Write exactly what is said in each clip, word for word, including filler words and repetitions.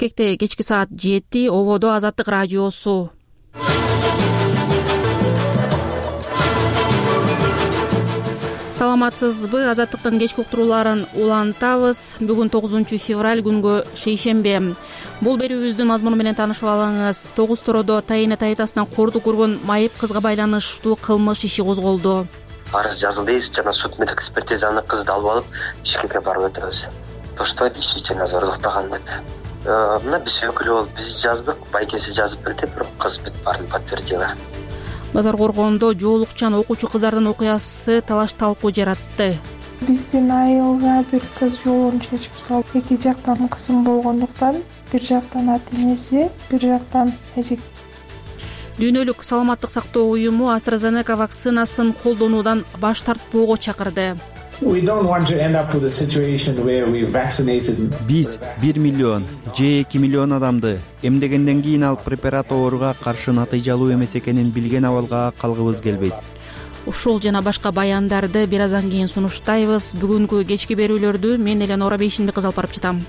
Бишкекте кечки саат жети, ободо Азаттык радиосу. Саламатсызбы? Азаттыктын кечки уктурууларын улантабыз. Бүгүн тогузунчу февраль, күнгө шейшембе. Бул берүүбүздүн мазмуну менен таанышып алыңыз. Тогуз Тородо Тайына Тайтасынан кордук көргөн майып кызга байланыштуу кылмыш иши козголду. Арыз жазылдыбыз, жана судмедик экспертизаны кызды алып алып Бишкекке барып өтөбүз. Тоштойт иши жана зордуктаган деп. Мына биз өкүлү болуп биз жаздык, байкеси жазып берди, бирок кыз бүт баарын подтвердила. Базар Коргондо жоолукчан окуучу кыздардын окуясы талаш талкуу жаратты. Биздин айылга бир кыз жолун чечип салып, эки жактан кысым болгондуктан, бир жактан ата-энеси, бир жактан эжек. Дүйнөлүк саламаттык сактоо уюму AstraZeneca вакцинасын колдонуудан баш тартпоого чакырды. Биз бир миллион же эки миллион адамды эмдегенден кийин ал препарат ооруга каршы натыйжалуу эмес экенин билген абалга калгыбыз келбейт. Ушул жана башка баяндарды бир аздан кийин сунуштайбыз. Бүгүнкү кечки берүүлөрдү мен Эленора Бейшинбек кыз алып барып жатам.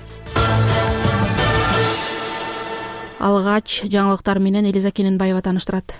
Алгач жаңылыктар менен Элиза Кененбаева тааныштырат.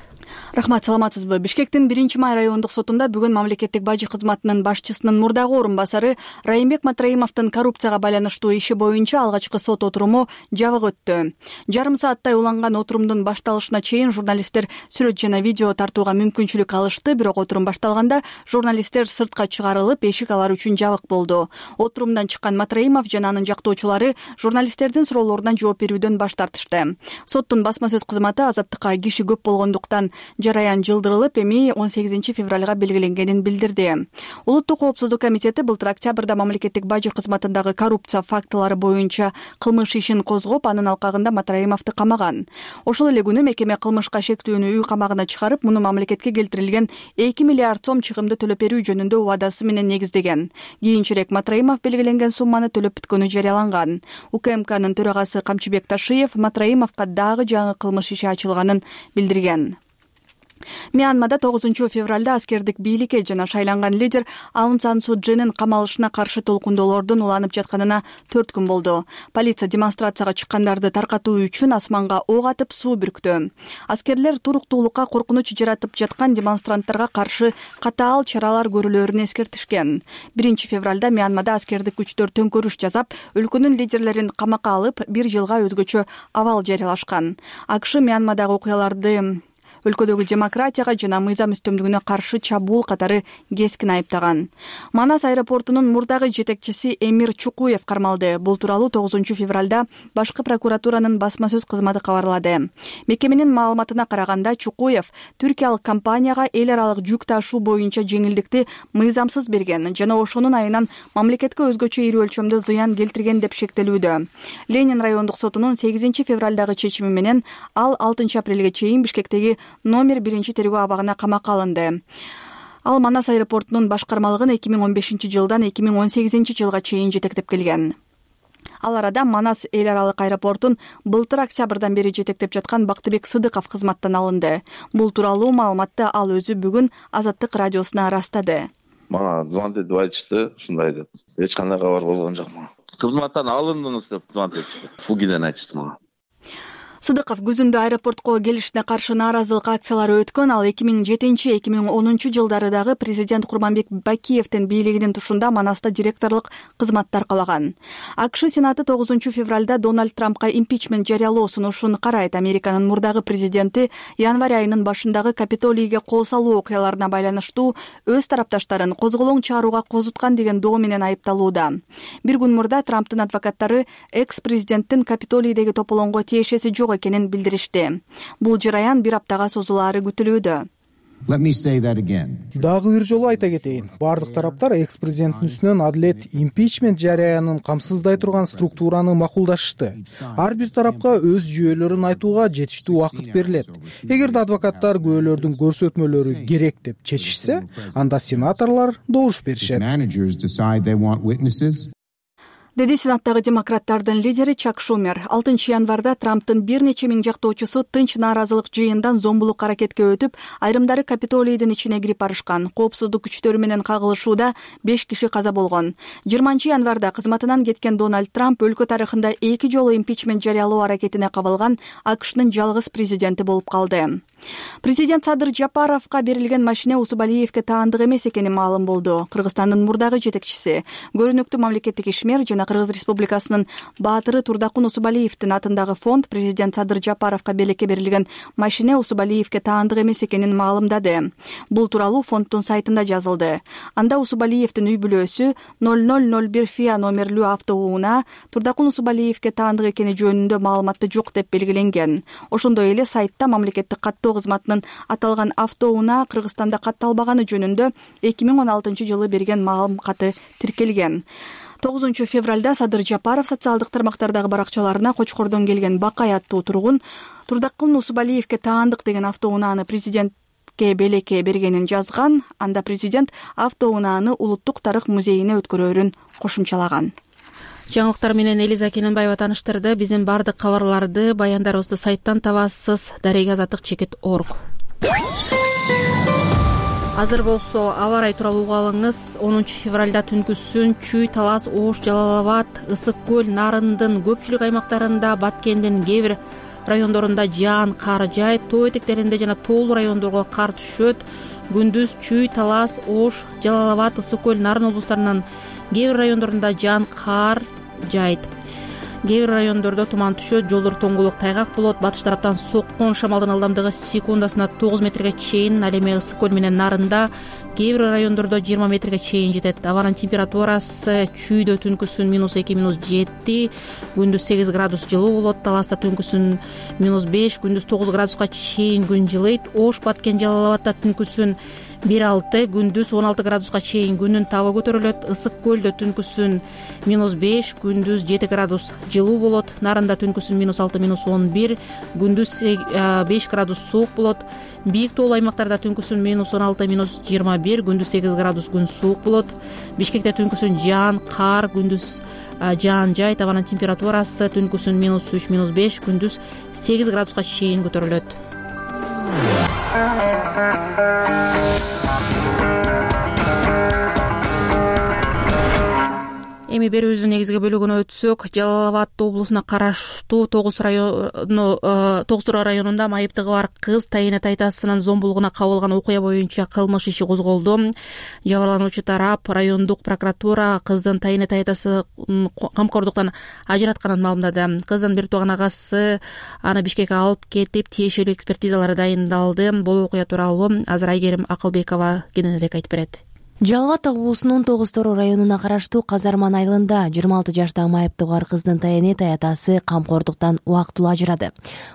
Рахмат, саламатсызбы? Бишкектин биринчи май райондук сотунда бүгүн мамлекеттик бажы кызматынын башчысынын мурдагы орун басары Райымбек Матраимовдун коррупцияга байланыштуу иши боюнча алгачкы сот отуруму жабык өттү. Жарым сааттай уланган отурумдун башталышына чейин журналисттер сүрөт жана видео тартууга мүмкүнчүлүк алышты, бирок отурум башталганда журналисттер сыртка чыгарылып, эшик алар үчүн жабык болду. Отурумдан чыккан Матраимов жана анын жактоочулары журналисттердин суроолоруна жооп берүүдөн баш тартышты. Соттун басма сөз кызматы Азаттыкка киши көп болгондуктан жараян жылдырылып, эми он сегизинчи февралга белгиленгенин билдирди. Улуттук коопсуздук комитети былтыр октябрда мамлекеттик бажы кызматындагы коррупция фактылары боюнча кылмыш ишин козгоп, анын алкагында Матраимовду камаган. Ошол эле күнү мекеме кылмышка шектүүнү үй камагына чыгарып, муну мамлекетке келтирилген эки миллиард сом чыгымды төлөп берүү жөнүндө убадасы менен негиздеген. Кийинчерээк Матраимов белгиленген сумманы төлөп бүткөнү жарыяланган. УКМКнын төрагасы Камчыбек Ташиев Матраимовго дагы жаңы кылмыш иши ачылганын билдирген. Мьянмада тогузунчу февралда аскердик бийликке жана шайланган лидер Аун Сан Су Чжинин камалышына каршы толкундоолордун уланып жатканына төрт күн болду. Полиция демонстрацияга чыккандарды таркатуу үчүн асманга ок атып суу бүрктү. Аскерлер туруктуулукка коркунуч жаратып жаткан демонстранттарга каршы катаал чаралар көрүлөрүн эскертишкен. Биринчи февралда Мьянмада аскердик күчтөр төңкөрүш жасап, өлкөнүн лидерлерин камакка алып, бир жылга өзгөчө абал жарыялашкан. АКШ Мьянмадагы окуяларды өлкөдөгү демократияга жана мыйзам үстөмдүгүнө каршы чабуул катары кескин айыптаган. Манас аэропортунун мурдагы жетекчиси Эмир Чукуев кармалды. Бул тууралуу тогузунчу февралда башкы прокуратуранын басма сөз кызматы кабарлады. Мекеменин маалыматына караганда, Чукуев түркиялык компанияга эл аралык жүк ташуу боюнча жеңилдикти мыйзамсыз берген жана ошонун айынан мамлекетке өзгөчө ири өлчөмдө зыян келтирген деп шектелүүдө. Ленин райондук сотунун сегизинчи февралдагы чечими менен ал алтынчы апрелге чейин Бишкектеги номер биринчи тергөө абагына камакка алынды. Ал Манас аэропортунун башкармалыгын эки миң он бешинчи жылдан эки миң он сегизинчи жылга чейин жетектеп келген. Ал арада Манас эл аралык аэропортун былтыр октябрдан бери жетектеп жаткан Бактыбек Сыдыков кызматтан алынды. Бул тууралуу маалыматты ал өзү бүгүн Азаттык радиосуна ырастады. Мана звонтип айтышты, ушундай деп. Эч кандай кабар болгон жок мага. Кызматтан алындыңыз деп звонтип Фугиден айтышты мага. Сыдыков күзүндө аэропортко келишине каршы нааразылык акциялары өткөн. Ал эки миң жетинчи эки миң онунчу жылдары дагы президент Курманбек Бакиевдин бийлигинин тушунда Манаста директорлук кызматты аркалаган. АКШ Сенаты тогузунчу февралда Дональд Трампка импичмент жарыялоо сунушун карайт. Американын мурдагы президенти январь айынын башындагы Капитолийге кол салуу окуяларына байланыштуу өз тарапташтарын козголоң чыгарууга козуткан деген доо менен айыпталууда. Бир күн мурда Трамптын адвокаттары экс-президенттин Капитолийдеги тополоңго тиешеси жок экенин билдиришти. Бул жараян бир аптага созулаары күтүлүүдө. Дагы бир жолу айта кетейин. Бардык тараптар экс-президенттин үстүнөн адилет импичмент жарыянын камсыздай турган структураны макулдашышты. Ар бир тарапка өз жүйөлөрүн айтууга жетиштүү убакыт берилет. Эгерде адвокаттар күбөлөрдүн көрсөтмөлөрү керек деп чечишсе, анда сенаторлор добуш беришет. деди сенаттагы демократтардын лидери Чак Шумер. алтынчы январда Трамптын бир нече миң жактоочусу тынч нааразылык жыйындан зомбулук аракетке өтүп, айрымдары Капитолийдин ичине кирип барышкан. Коопсуздук күчтөрү менен кагылышууда беш киши каза болгон. жыйырманчы январда кызматынан кеткен Дональд Трамп өлкө тарыхында эки жолу импичмент жарыялоо аракетине кабылган АКШнын жалгыз президенти болуп калды. Президент Садыр Жапаровго берилген машина Усубалиевге таандык эмес экени маалым болду. Кыргызстандын мурдагы жетекчиси, көрүнүктүү мамлекеттик ишмер жана Кыргыз Республикасынын баатыры Турдакун Усубалиевдин атындагы фонд президент Садыр Жапаровго белекке берилген машина Усубалиевге таандык эмес экенин маалымдады. Бул тууралуу фонддун сайтында жазылды. Анда Усубалиевдин үй бүлөсү ноль ноль ноль бир Фиа номерлүү автоунаа Турдакун Усубалиевге таандык экени жөнүндө маалыматты жок деп белгиленген. Ошондой эле сайтта мамлекеттик каттоо кызматынын аталган автоунаа Кыргызстанда катталбаганы жөнүндө эки миң он алтынчы жылы берген маалым каты тиркелген. тогузунчу февралда Садыр Жапаров социалдык тармактардагы баракчаларына Кочкордон келген Бакай аттуу тургун Турдакун Усубалиевге таандык деген автоунааны президентке белекке бергенин жазган. Анда президент автоунааны Улуттук тарых музейине өткөрөөрүн кошумчалаган. Жаңылыктар менен Элиза Кененбаева тааныштырды. Биздин баардык кабарларды, баяндарыбызды сайттан табасыз. Дарега азаттык чекит точка орг. Азыр болсо аба ырайы тууралуу угуп алыңыз. онунчу февралда түнкүсүн Чүй, Талас, Ош, Жалал Абад, Ысык көл, Нарындын көпчүлүк аймактарында, Баткендин кээ бир райондорунда жаан кар жаайт. Тоо этектеринде жана тоолуу райондорго кар түшөт. Күндүз Чүй, Талас, Ош, Жалал Абад, Ысык көл, Нарын облустарынын кээ бир райондорунда жаан кар жаайт. Кээ бир райондордо туман түшөт, жолдор тоңгулук, тайгак болот. Батыш тараптан соккон шамалдын ылдамдыгы секундасына тогуз метрге чейин, ал эми Ысык көл менен Нарында кээ бир райондордо жыйырма метрге чейин жетет. Абанын температурасы Чүйдө түнкүсүн минус эки минус жети, күндүз сегиз градус жылуу болот. Таласта түнкүсүн минус беш, күндүз тогуз градуска чейин күн жылыйт. Ош, Баткен, Жалал Абадда түнкүсүн бир алты, күндүз он алты градуска чейин күнүн табы көтөрүлөт. Ысык көлдө түнкүсүн минус беш, күндүз жети градус жылуу болот. Нарында түнкүсүн минус алты, минус он бир, күндүз беш градус суук болот. Бийик тоолуу аймактарда түнкүсүн минус он алты, минус жыйырма бир, күндүз сегиз градус күн суук болот. Бишкекте түнкүсүн жаан кар, күндүз жаан жаайт. Абанын температурасы түнкүсүн минус үч, минус беш, күндүз сегиз градуска чейин көтөрүлөт. Эми берүүбүздүн негизги бөлүгүнө өтсөк, Жалал Абад облусуна караштуу тогуз району тогуз районунда майыптыгы бар кыз тайыне тайтасынын зомбулугуна кабылган окуя боюнча кылмыш иши козголду. Жабырлануучу тарап райондук прокуратура кыздын тайыне тайтасын камкордуктан ажыратканын маалымдады. Кыздын бир тууган агасы аны Бишкекке алып кетип, тиешелүү экспертизалары дайындалды. Бул окуя тууралуу азыр Айгерим Акылбекова кененирээк айтып берет. Жалал Абад облусунун тогуз районуна караштуу Казарман айылында жыйырма алты жаштагы майыптыгы бар кыздын тайыне таятасы камкордуктан убактылуу ажырады.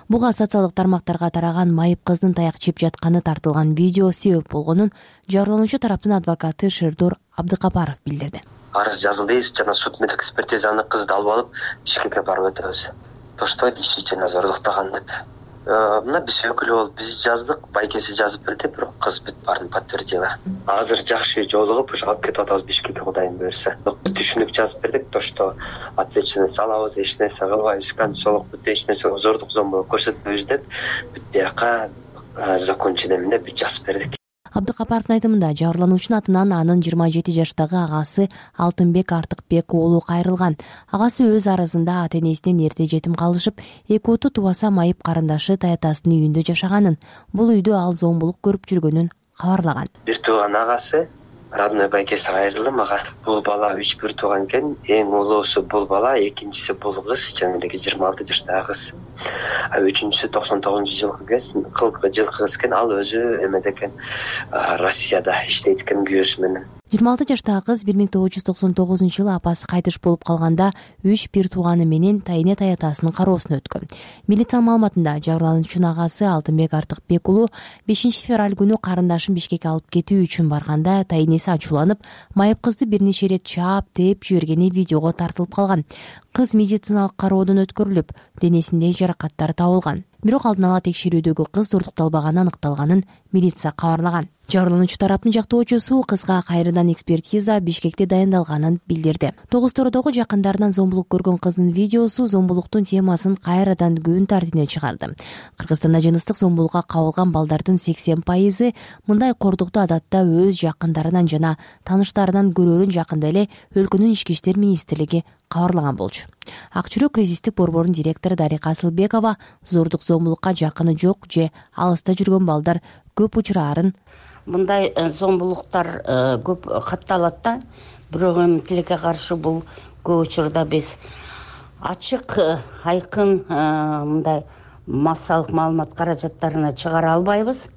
Буга социалдык тармактарга тараган майып кыздын таяк жеп жатканы тартылган видео себеп болгонун жабырлануучу тараптын адвокаты Шердор Абдыкапаров билдирди. Арыз жазылды, жана суд медэкспертизаны кызды алып алып Бишкекке барып өтөбүз. То, что действительно зорлуктаган деп. Мына биз өкүлү болуп биз жаздык, байкеси жазып берди, бирок кыз бүт баарын подтвердила. Азыр жакшы жолугуп ушу алып кетип атабыз Бишкекке, Кудайым буйрса. Түшүнүк жазып бердик, то, что ответственность алабыз, эч нерсе кылбайбыз, концолук бүт эч нерсе зордук зомбулук көрсөтпөйбүз деп бүт бияка закончениямен деп бүт жазып бердик. Абдыкапаровдун айтымында жабырлануучунун атынан анын жыйырма жети жаштагы агасы Алтынбек Артыкбек уулу кайрылган. Агасы өз арызында ата-энесинен эрте жетим калышып, эки уту тубаса майып карындашы таятасынын үйүндө жашаганын, бул үйдө ал зомбулук көрүп жүргөнүн кабарлаган. Бир тууган агасы родной байкеси кайрылды мага. Бул бала үч бир тууган экен. Эң улуусу бул бала, экинчиси бул кыз, жанагы жыйырма алты жаштагы кыз. А үчүнчүсү токсон тогузунчу жылкы кыз, кылкы жылкы кыз экен. Ал өзү эмеде экен, Россияда иштейт экен күйөөсү менен. жыйырма алты жаштагы кыз бир миң тогуз жүз токсон тогузунчу жылы апасы кайтыш болуп калганда үч бир тууганы менен тайыне таятасынын кароосуна өткөн. Милициянын маалыматында жабырлануучунун агасы Алтынбек Артыкбек уулу бешинчи февраль күнү карындашын Бишкекке алып кетүү үчүн барганда тайынеси ачууланып, майып кызды бир нече ирет чаап, тээп жибергени видеого тартылып калган. Кыз медициналык кароодон өткөрүлүп, денесинде жаракаттар табылган. Бирок алдын ала текшерүүдөгү кыз уурдукталбаганы аныкталганын милиция кабарлаган. Жабырлануучу тараптын жактоочусу кызга кайрадан экспертиза Бишкекте дайындалганын билдирди. Тогуз-тородогу жакындарынан зомбулук көргөн кыздын видеосу зомбулуктун темасын кайрадан күн тартибине чыгарды. Кыргызстанда жыныстык зомбулукка кабылган балдардын сексен пайызы мындай кордукту адатта өз жакындарынан жана тааныштарынан көрөрүн жакында эле өлкөнүн ички иштер министрлиги кабарлаган болчу. Ак жүрөк кризистик борборунун директору Дарика Асылбекова зордук зомбулукка жакыны жок же алыста жүргөн балдар көп учурарын мындай зомбулуктар көп катталат да. Бирок эми тилекке каршы бул көп учурда биз ачык, айкын мындай массалык маалымат каражаттарына чыгара албайбыз.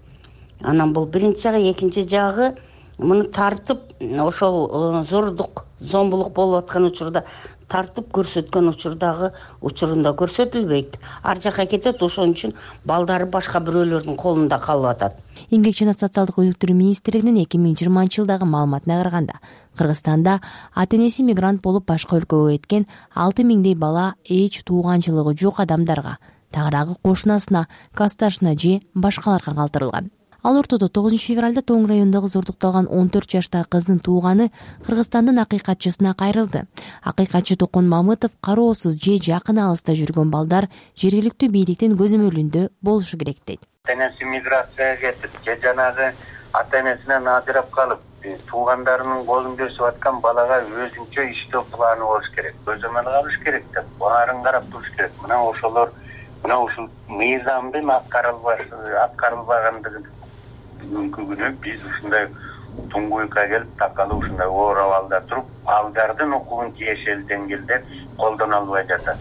Анан бул биринчи жагы, экинчи жагы муну тартып ошол зордук зомбулук болуп аткан учурда тартып көрсөткөн учурдагы учурунда көрсөтүлбөйт. Ар жака кетет, ошон үчүн балдары башка бирөөлөрдүн колунда калып атат. Эмгек жана социалдык өнүктүрүү министрлигинин эки миң жыйырманчы жылдагы маалыматына караганда, Кыргызстанда ата-энеси мигрант болуп башка өлкөгө кеткен алты миңдей бала эч тууганчылыгы жок адамдарга, тагыраагы кошунасына, классташына же башкаларга калтырылган. Ал ортодо тогузунчу февралда Тоң районундагы зордукталган он төрт жаштагы кыздын тууганы Кыргызстандын акыйкатчысына кайрылды. Акыйкатчы Токон Мамытов кароосуз же жакын алыста жүргөн балдар жергиликтүү бийликтин көзөмөлүндө болушу керек дейт. Ата-энеси миграцияга кетип, же жанагы ата-энесинен ажырап калып, туугандарынын колун көрсөп аткан балага өзүнчө иштөө планы болуш керек, көзөмөл алыш керек деп, баарын карап туруш керек. Мына ошолор, мына ушул мыйзамдын аткарылбагандыгын бүгүнкү күнү биз ушундай туңгуюкка келип такалып ушундай оор абалда туруп, балдардын укугун тиешелүү деңгээлде колдоно албай жатат.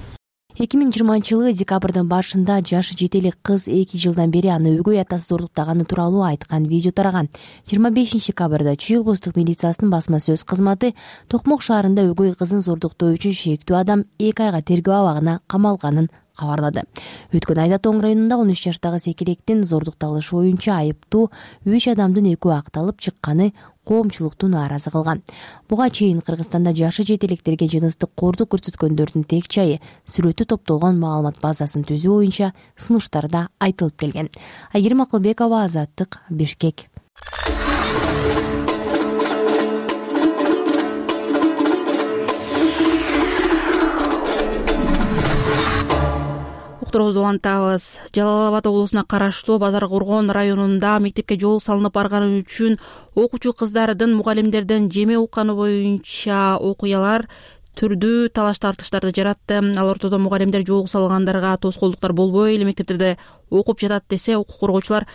эки миң жыйырманчы жылы декабрдын башында жашы жете элек кыз эки жылдан бери аны өгөй атасы зордуктаганы тууралуу айткан видео тараган. жыйырма бешинчи декабрда Чүй облустук милициясынын басма сөз кызматы Токмок шаарында өгөй кызын зордуктоо үчүн шектүү адам эки айга тергөө абагына камалганын кабарлады. Өткөн айда Тоң районунда он үч жаштагы секелектин зордукталышы боюнча айыптуу үч адамдын экөө акталып чыкканы коомчулукту нааразы кылган. Буга чейин Кыргызстанда жашы жете электерге жыныстык кордук көрсөткөндөрдүн тең жайы сүрөтү топтолгон маалымат базасын түзүү боюнча сунуштарда айтылып келген. Айгерим Акылбекова, Азаттык, Бишкек. Уктуруубузду улантабыз. Жалал Абад облусуна караштуу Базар Коргон районунда мектепке жол салынып барганы үчүн окуучу кыздардын мугалимдерден жеме укканы боюнча окуялар түрдүү талаш тартыштарды жаратты. Ал ортодо мугалимдер жол салгандарга тоскоолдуктар болбой эле мектептерде окуп жатат десе, укук коргоочулар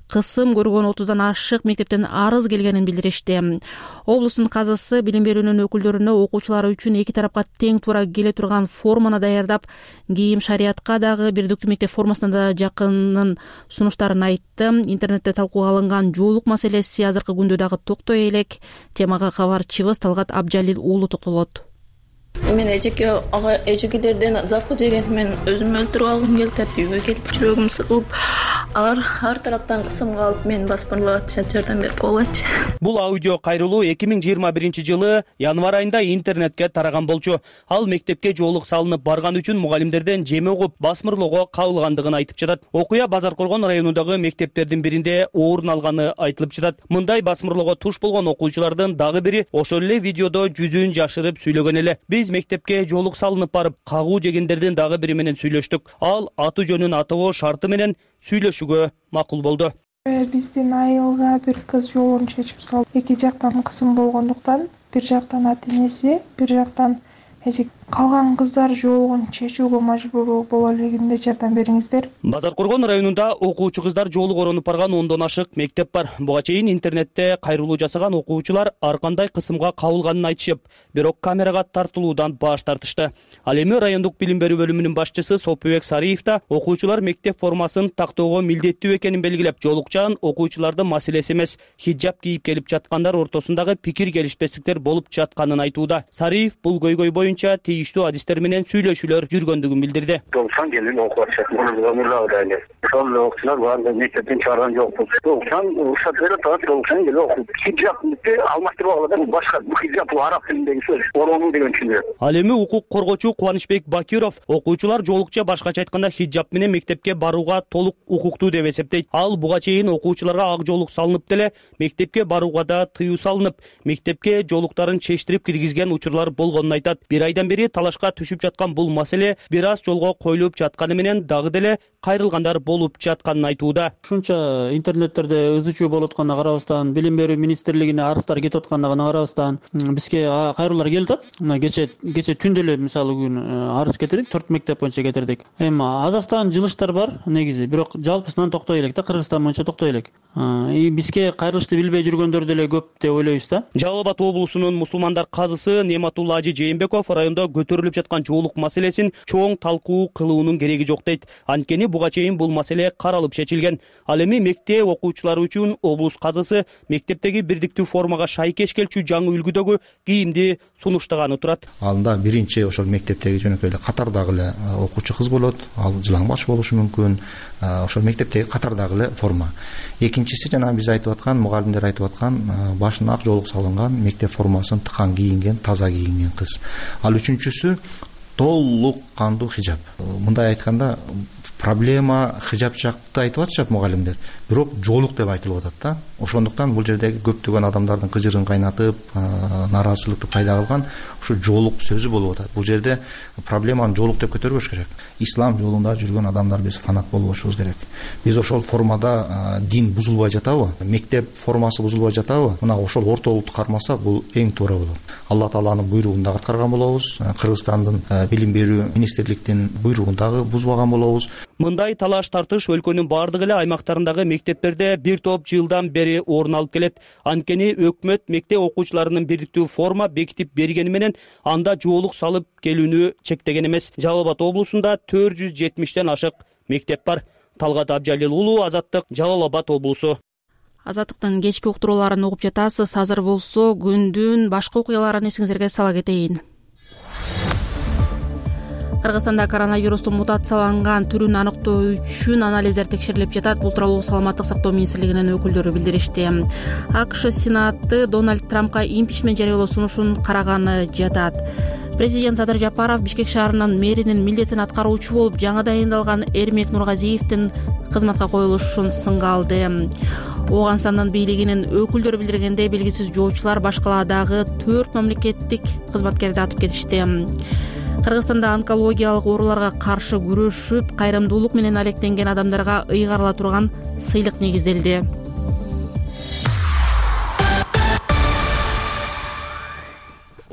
кысым көргөн отуздан ашык мектептен арыз келгенин билдиришти. Облустун казысы билим берүүнүн өкүлдөрүнө окуучулар үчүн эки тарапка тең туура келе турган форманы даярдап, кийим шариятка дагы бирдиктүү мектеп формасына да жакынын сунуштарын айтты. Интернетте талкууга алынган жоолук маселеси азыркы күндө дагы токтой элек. Темага кабарчыбыз Талгат Абжалил уулу токтолот. Мен эжеке ага эжекелерден запы жеген мен өзүм өлтүрүп алгым келди. Үйгө келип жүрөгүм сыгылып, ар ар тараптан кысымга алып мен басмырлап жардам берип койгончу. Бул аудио кайрылуу эки миң жыйырма биринчи жылы январь айында интернетке тараган болчу. Ал мектепке жоолук салынып барган үчүн мугалимдерден жеме угуп басмырлоого кабылгандыгын айтып жатат. Окуя Базар Коргон районундагы мектептердин биринде орун алганы айтылып жатат. Мындай басмырлоого туш болгон окуучулардын дагы бири ошол эле видеодо жүзүн жашырып сүйлөгөн эле. Биз мектепке жоолук салынып барып, кагуу жегендердин дагы бири менен сүйлөштүк. Ал аты жөнүн атоо шарты менен сүйлөшүүгө макул болду. Биздин айылга бир кыз жолун чечип салып, эки жактан кысым болгондуктан, бир жактан ата-энеси, бир жактан эже калган кыздар жолун чечүүгө мажбур боло элегинде жардам бериңиздер. Базар Коргон районунда окуучу кыздар жолу коронуп барган ондон ашык мектеп бар. Буга чейин интернетте кайрылуу жасаган окуучулар ар кандай кысымга кабылганын айтышып, бирок камерага тартылуудан баш тартышты. Ал эми райондук билим берүү бөлүмүнүн башчысы Сопубек Сариев да окуучулар мектеп формасын тактоого милдеттүү экенин белгилеп, жолукчан окуучулардын маселеси эмес, хиджаб кийип келип жаткандар ортосундагы пикир келишпестиктер болуп жатканын айтууда. Сариев бул көйгөй боюнча тийиштүү адистер менен сүйлөшүүлөр жүргөндүгүн билдирди. Doksan gelin okul açacak. Bunu ömürler öyle. Son okusunlar var da mektetin çağıran yok. Doksan uşak böyle taat doksan gelin okul. Hicap bitti almaktır oğladan başka. Bu hicap bu Arap dilindeki söz. Onu degen düşünüyor. Ал эми укук коргоочу Кубанычбек Бакиров окуучулар жолукча башкача айтканда хиджап менен мектепке барууга толук укуктуу деп эсептейт. Ал буга чейин окуучуларга ак жолук салынып деле мектепке барууга да тыюу салынып, мектепке жолуктарын чечтирип киргизген учурлар болгонун айтат. Бир айдан бери талашка түшүп жаткан бул маселе бир аз жолго коюлуп жатканы менен дагы деле кайрылгандар болуп жатканын айтууда. Ушунча интернеттерде ызы чуу болуп атканына карабастан, билим берүү министрлигине арыздар кетип атканына карабастан, бизге кайрылуулар келип атат. Мына кече кече түндө эле мисалы күн арыз кетирдик, төрт мектеп боюнча кетирдик. Эми азастаган жылыштар бар негизи, бирок жалпысынан токтой элек да, Кыргызстан боюнча токтой элек. И бизге кайрылышты билбей жүргөндөр деле көп деп ойлойбуз да. Жалал Абад облусунун мусулмандар казысы Нематулла Ажи Жээнбеков райондо көтөрүлүп жаткан жоолук маселесин чоң талкуу кылуунун кереги жок дейт. Анткени буга чейин бул маселе каралып чечилген. Ал эми мектеп окуучулары үчүн облус казысы мектептеги бирдиктүү формага шайкеш келчү жаңы үлгүдөгү кийимди сунуштаганы турат. Алында биринчи ошол мектептеги жөнөкөй эле катардагы эле окуучу кыз болот, ал жылаң баш болушу мүмкүн. Ошол мектептеги катардагы эле форма. Экинчиси жана биз айтып аткан, мугалимдер айтып аткан, башына ак жоолук салынган, мектеп формасын тыкан кийинген, таза кийинген кыз. Ал үчүнчүсү толук кандуу хижап. Мындай айтканда проблема хижап жакты айтып атышат мугалимдер, бирок жоолук деп айтылып атат да. Ошондуктан бул жердеги көптөгөн адамдардын кыжырын кайнатып, нааразычылыкты пайда кылган ушу жоолук сөзү болуп атат. Бул жерде проблеманы жоолук деп көтөрбөш керек. Ислам жолунда жүргөн адамдар биз фанат болбошубуз керек. Биз ошол формада дин бузулбай жатабы, мектеп формасы бузулбай жатабы, мына ошол ортолукту кармаса бул эң туура болот. Алла Тааланын буйругун дагы аткарган болобуз, Кыргызстандын билим берүү министрликтин буйругун дагы бузбаган болобуз. Мындай талаш тартыш өлкөнүн бардык эле аймактарындагы мектептерде бир топ жылдан бери орун алып келет. Анткени өкмөт мектеп окуучуларынын бирдиктүү форма бекитип бергени менен анда жоолук салып келүүнү чектеген эмес. Жалал Абад облусунда төрт жүз жетимиштен ашык мектеп бар. Талгат Абжалил уулу, Азаттык, Жалал Абад облусу. Азаттыктын кечки уктурууларын угуп жатасыз. Азыр болсо күндүн башка окуяларын эсиңизерге сала кетейин. Кыргызстанда коронавирустун мутацияланган түрүн аныктоо үчүн анализдер текшерилип жатат. Бул тууралуу Саламаттык сактоо министрлигинин өкүлдөрү билдиришти. АКШ Сенаты Дональд Трампка импичмент жарыялоо сунушун караганы жатат. Президент Садыр Жапаров Бишкек шаарынын мэринин милдетин аткаруучу болуп жаңы дайындалган Эрмек Нургазиевдин кызматка коюлушун сынга алды. Ооганстандын бийлигинин өкүлдөрү билдиргендей, белгисиз жоочулар баш калаадагы төрт мамлекеттик кызматкерди атып кетишти. Кыргызстанда онкологиялык ооруларга каршы күрөшүп, кайрымдуулук менен алектенген адамдарга ыйгарыла турган сыйлык негизделди.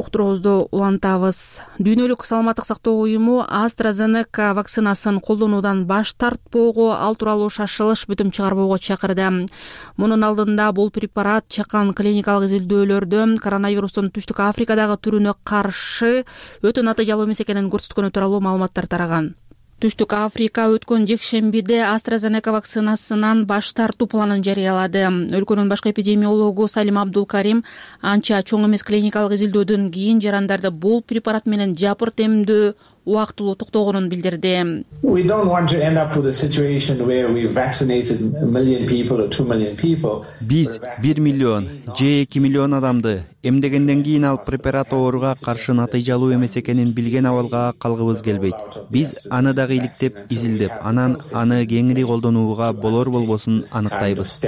Уктуруубузду улантабыз. Дүйнөлүк саламаттык сактоо уюму AstraZeneca вакцинасын колдонуудан баш тартпоого, ал тууралуу шашылыш бүтүм чыгарбоого чакырды. Мунун алдында бул препарат чакан клиникалык изилдөөлөрдө коронавирустун Түштүк Африкадагы түрүнө каршы өтө натыйжалуу эмес экенин көрсөткөнү тууралуу маалыматтар тараган. Түштүк Африка өткөн жекшембиде AstraZeneca вакцинасынан баш тартуу планын жарыялады. Өлкөнүн башкы эпидемиологу Салим Абдулкарим анча чоң эмес клиникалык изилдөөдөн кийин жарандарды бул препарат менен жапырт эмдөө убактылуу токтогонун билдирди. Биз бир миллион же эки миллион адамды эмдегенден кийин ал препарат ооруга каршы натыйжалуу эмес экенин билген абалга калгыбыз келбейт. Биз аны дагы иликтеп, изилдеп, анан аны кеңири колдонууга болор болбосун аныктайбыз.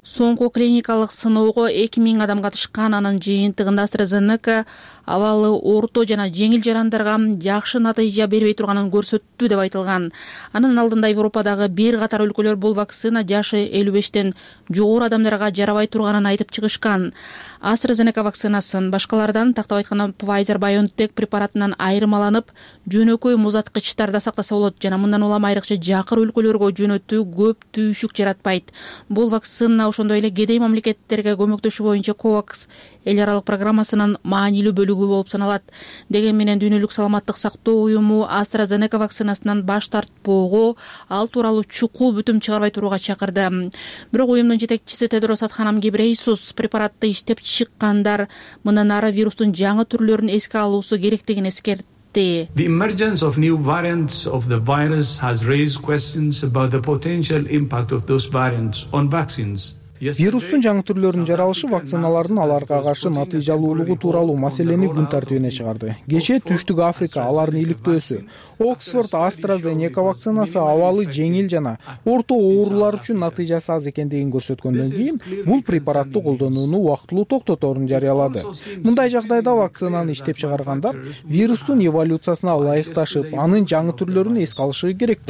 Соңку клиникалык сыноого эки миң адам катышкан. Анын жыйынтыгында AstraZeneca абалы орто жана жеңил жарандарга жакшы натыйжа бербей турганын көрсөттү деп айтылган. Анын алдында Европадагы бир катар өлкөлөр бул вакцина жашы элүү бештен жогору адамдарга жарабай турганын айтып чыгышкан. AstraZeneca вакцинасын башкалардан, тактап айтканда Pfizer-BioNTech препаратынан айырмаланып, жөнөкөй музаткычтарда сактаса болот жана мындан улам айрыкча жакыр өлкөлөргө жөнөтүү көп түйшүк жаратпайт. Бул вакцина ошондой эле кедей мамлекеттерге көмөктөшүү боюнча COVAX эл аралык программасынын маанилүү бөлүгү ийгүү болуп саналат. Деген менен Дүйнөлүк саламаттык сактоо уюму AstraZeneca вакцинасынан баш тартпоого, ал тууралуу чукул бүтүм чыгарбай турууга чакырды. Бирок уюмдун жетекчиси Тедрос Адханам Гебрейсус препаратты иштеп чыккандар мындан ары вирустун жаңы түрлөрүн эске алуусу керектигин эскертти. The emergence of new variants of the virus has raised questions about the potential impact of those variants on vaccines. Вирустун жаңы түрлөрүнүн жаралышы вакциналардын аларга каршы натыйжалуулугу тууралуу маселени күн тартибине чыгарды. Кечээ Түштүк Африка алардын иликтөөсү Оксфорд AstraZeneca вакцинасы абалы жеңил жана орто оорулар үчүн натыйжасы аз экендигин көрсөткөндөн кийин бул препаратты колдонууну убактылуу токтоторун жарыялады. Мындай жагдайда вакцинаны иштеп чыгаргандар вирустун эволюциясына ылайыкташып, анын жаңы түрлөрүн эске алышы керек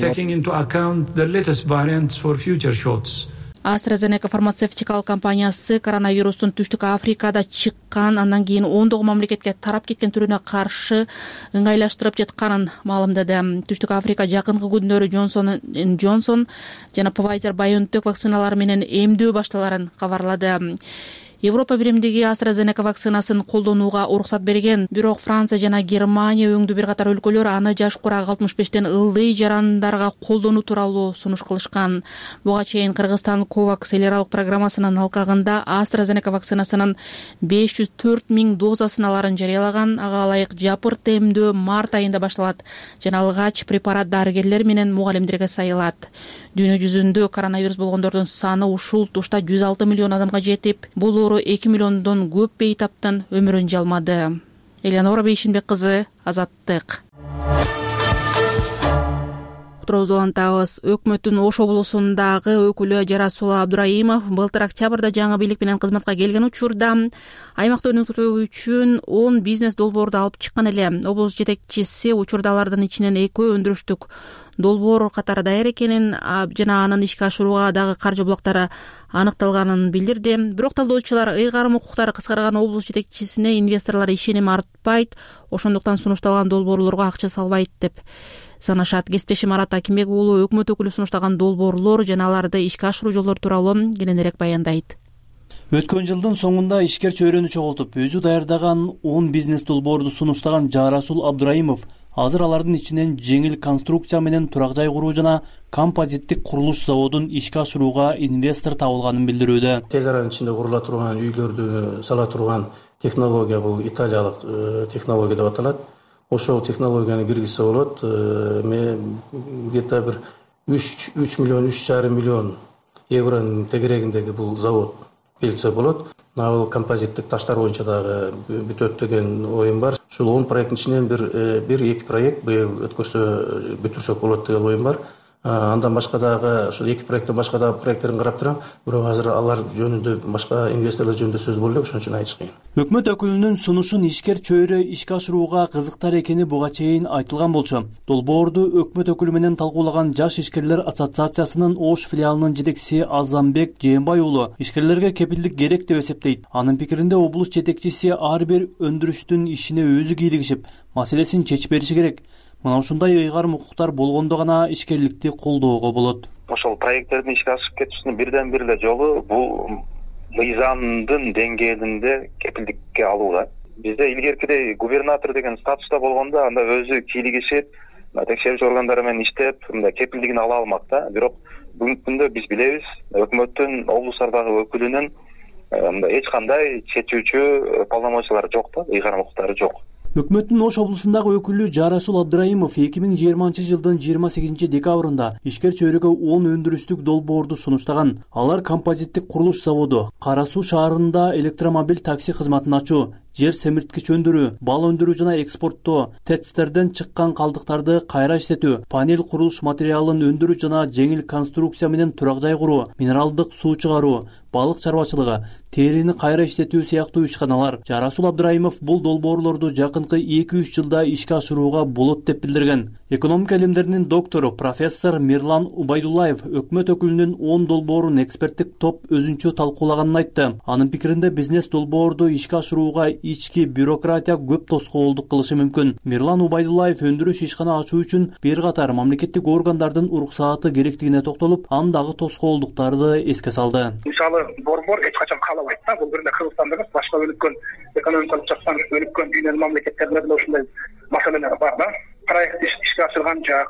болот. AstraZeneca фармацевтикалык компаниясы коронавирустун Түштүк Африкада чыккан, андан кийин ондогу мамлекетке тарап кеткен түрүнө каршы ыңгайлаштырып жатканын маалымдады. Түштүк Африка жакынкы күндөрү Johnson энд Johnson жана Pfizer-BioNTech вакциналары менен эмдөө башталарын кабарлады. Европа биримдиги AstraZeneca вакцинасын колдонууга уруксат берген, бирок Франция жана Германия өңдүү бир катар өлкөлөр аны жаш курагы алтымыш бештен ылдый жарандарга колдонуу тууралуу сунуш кылышкан. Буга чейин Кыргызстан Ковакс эл аралык программасынын алкагында AstraZeneca вакцинасынын беш жүз төрт миң дозасын аларын жарыялаган. Ага ылайык жапырт эмдөө март айында башталат жана алгач препарат дарыгерлер менен мугалимдерге сайылат. Дүйнө жүзүндө коронавирус болгондордун саны ушул тушта жүз алты миллион адамга жетип, бул эки миллиондон көп бейтаптын өмүрүн жалмады. Элеонора Бейшинбек кызы, Азаттык. Уктуруубузду улантабыз. Өкмөттүн Ош облусундагы өкүлү Жарасул Абдраимов былтыр октябрда жаңы бийлик менен кызматка келген учурда аймакты өнүктүрүү үчүн он бизнес долбоорду алып чыккан эле. Облус жетекчиси учурда алардын ичинен экөө өндүрүштүк долбоор катары даяр экенин жана анын ишке ашырууга дагы каржы булактары аныкталганын билдирди. Бирок талдоочулар ыйгарым укуктары кыскарган облус жетекчисине инвесторлор ишеним артпайт, ошондуктан сунушталган долбоорлорго акча салбайт деп санашат. Кесиптешим Марат Акимбек уулу өкмөт өкүлү сунуштаган долбоорлор жана аларды ишке ашыруу жолдору тууралуу кененирээк баяндайт. Өткөн жылдын соңунда ишкер чөйрөнү чогултуп, өзү даярдаган он бизнес долбоорду сунуштаган Жарасул Абдраимов азыр алардын ичинен жеңил конструкция менен турак жай куруу жана композиттик курулуш заводун ишке ашырууга инвестор табылганын билдирүүдө. Тез аранын ичинде курула турган үйлөрдү сала турган технология бул италиялык технология деп аталат. Ошол технологияны киргизсе болот. Мен где-то бир үч миллион үч жарым миллион евронун тегерегиндеги бул завод келсе болот. Бул композиттик таштар боюнча дагы бүтөт деген оюм бар. Ушул он проекттин ичинен бир бир эки проект быйыл өткөрсө бүтүрсөк болот деген оюм бар. Андан башка дагы ошол эки проекттен башка дагы проекттерин карап турам. Бирок азыр алар жөнүндө башка инвесторлор жөнүндө сөз болду, ошон үчүн айтыш кыйын. Өкмөт өкүлүнүн сунушун ишкер чөйрө ишке ашырууга кызыктар экени буга чейин айтылган болчу. Долбоорду өкмөт өкүлү менен талкуулаган Жаш ишкерлер ассоциациясынын Ош филиалынын жетекчиси Азамбек Жээнбай уулу ишкерлерге кепилдик керек деп эсептейт. Анын пикиринде облус жетекчиси ар бир өндүрүштүн ишине өзү кийлигишип, маселесин чечип бериши керек. Мына ушундай ыйгарым укуктар болгондо гана ишкерликти колдоого болот. Ошол проекттердин ишке ашып кетүүсүнүн бирден бир эле жолу бул мыйзамдын деңгээлинде кепилдикке алуу да. Бизде илгеркидей губернатор деген статуста болгондо анда өзү кийлигишип, текшерүүчү органдар менен иштеп, мындай кепилдигин ала алмак да. Бирок бүгүнкү күндө биз билебиз, өкмөттүн облустардагы өкүлүнүн мындай эч кандай чечүүчү полномочиялары жок да, ыйгарым укуктары жок. Өкмөттүн Ош облусундагы өкүлү Жарасул Абдраимов эки миң жыйырманчы жылдын жыйырма сегизинчи декабрында ишкер чөйрөгө он өндүрүштүк долбоорду сунуштаган. Алар композиттик курулуш заводу, Кара Суу шаарында электромобиль такси кызматын ачуу, жер семирткич өндүрүү, бал өндүрүү жана экспорттоо, тэцтерден чыккан калдыктарды кайра иштетүү, панель курулуш материалын өндүрүү жана жеңил конструкция менен турак жай куруу, минералдык суу чыгаруу, балык чарбачылыгы, терини кайра иштетүү сыяктуу ишканалар. Жарасул Абдраимов бул долбоорлорду жакынкы эки үч жылда ишке ашырууга болот деп билдирген. Экономика илимдеринин доктору профессор Мирлан Убайдуллаев өкмөт өкүлүнүн он долбоорун эксперттик топ өзүнчө талкуулаганын айтты. Анын пикиринде бизнес долбоорду ишке ашырууга ички бюрократия көп тоскоолдук кылышы мүмкүн. Мирлан Убайдуллаев өндүрүш ишкана ачуу үчүн бир катар мамлекеттик органдардын уруксааты керектигине токтолуп, андагы тоскоолдуктарды эске салды. Мисалы, борбор эч качан каалабайт да, бул биринде Кыргызстанда эмес, башка өнүккөн экономикалык жактан өнүккөн дүйнөнүн мамлекеттеринде да ушундай маселелер бар да. Проект ишке ашырган жак,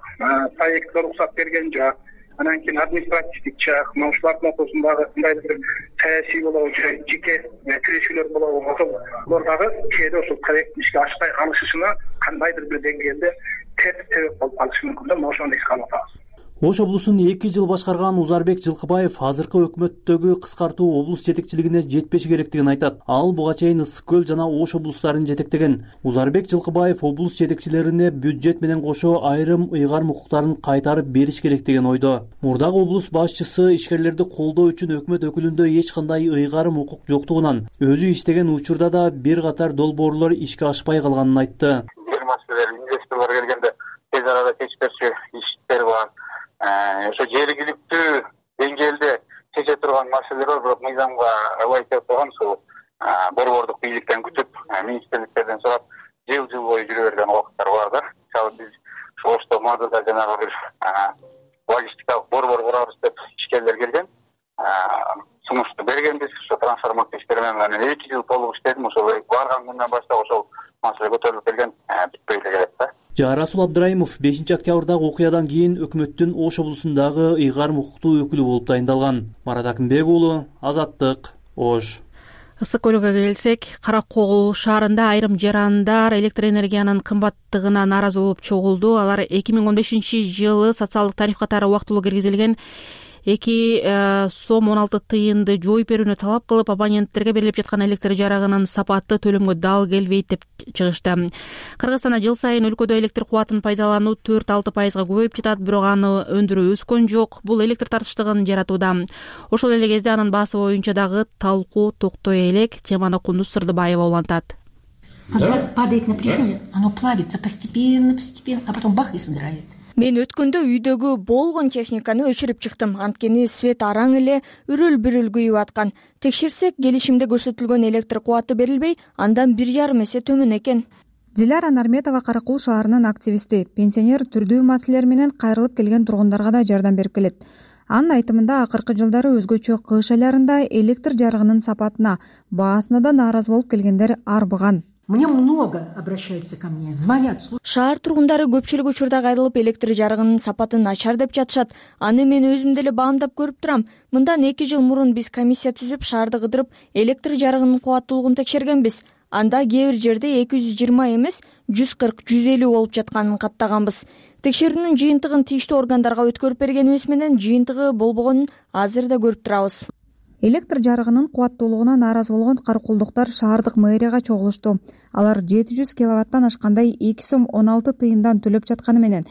проектке уруксат берген жак, анан кийин административдик жак, ушулардын ортосундагы кандайдыр бир саясий болобу же жеке тирешүүлөр болобу, ошолор дагы кээде ошол проекттин ишке ашпай калышына кандайдыр бир деңгээлде терс себеп болуп калышы мүмкүн да, ошону эске алып атабыз. Ош облусун эки жыл башкарган Узарбек Жылкыбаев азыркы өкмөттөгү кыскартуу облус жетекчилигине жетпеши керектигин айтат. Ал буга чейин Ысык көл жана Ош облустарын жетектеген. Узарбек Жылкыбаев облус жетекчилерине бюджет менен кошо айрым ыйгарым укуктарын кайтарып бериш керек деген ойдо. Мурдагы облус башчысы ишкерлерди колдоо үчүн өкмөт өкүлүндө эч кандай ыйгарым укук жоктугунан өзү иштеген учурда да бир катар долбоорлор ишке ашпай калганын айтты. Бир маселелер инвесторлор келгенде тез арада чечип берчү иштер бар. Ошо жергиликтүү деңгээлде чече турган маселелер бар, бирок мыйзамга ылайык деп турган ушул борбордук бийликтен күтүп, министрликтерден сурап, жыл-жыл бою жүрө берген убакыттар бар да. Мисалы биз Ошто Мадыда жанагы бир логистикалык борбор курабыз деп ишкерлер келген. Сунушту бергенбиз, ошо трансформация иштери менен анан эки жыл толук иштедим, ошол барган күндөн баштап ошол маселе көтөрүлүп келген, бүтпөй эле келет да. Жарасул Абдраимов бешинчи октябрдагы окуядан кийин өкмөттүн Ош облусундагы ыйгарым укуктуу өкүлү болуп дайындалган. Марат Акынбек уулу, Азаттык, Ош. Ысык көлгө келсек, Каракол шаарында айрым жарандар электр энергиянын кымбаттыгына нааразы болуп чогулду. Алар эки миң он бешинчи жылы социалдык тариф катары убактылуу киргизилген эки сом он алты тыйынды жоюп берүүнү талап кылып, абоненттерге берилип жаткан электр жарыгынын сапаты төлөмгө дал келбейт деп чыгышты. Кыргызстанда жыл сайын өлкөдө электр кубатын пайдалануу төрт алты пайызга көбөйүп жатат, бирок аны өндүрүү өскөн жок. Бул электр тартыштыгын жаратууда. Ошол эле кезде анын баасы боюнча дагы талкуу токтой элек. Теманы Кундуз Сырдыбаева улантат. Когда падает напряжение, оно плавится постепенно, постепенно, а потом бах и сгорает. Мен өткөндө үйдөгү болгон техниканы өчүрүп чыктым. Анткени свет араң эле үрүл-бүрүл күйүп аткан. Текшерсек, келишимде көрсөтүлгөн электр кубаты берилбей, андан бир жарым эсе төмөн экен. Диляра Нарметова Каракул шаарынын активисти. Пенсионер түрдүү маселелер менен кайрылып келген тургундарга да жардам берип келет. Анын айтымында акыркы жылдары өзгөчө кыш айларында электр жарыгынын сапатына, баасына да нааразы болуп келгендер арбыган. Мне много обращаются ко мне, звонят. Шаар тургундары көпчүлүк учурда кайрылып электр жарыгынын сапатын начар деп жатышат. Аны мен өзүм деле баамдап көрүп турам. Мындан эки жыл мурун биз комиссия түзүп, шаарды кыдырып, электр жарыгынын кубаттуулугун текшергенбиз. Анда кээ бир жерде эки жүз жыйырма эмес, жүз кырк жүз элүү болуп жатканын каттаганбыз. Текшерүүнүн жыйынтыгын тийиштүү органдарга өткөрүп бергенибиз менен жыйынтыгы болбогонун азыр да көрүп турабыз. Электр жарыгынын кубаттуулугуна нааразы болгон каракулдуктар шаардык мэрияга чогулушту. Алар жети жүз киловаттан ашкандай эки сом он алты тыйындан төлөп жатканы менен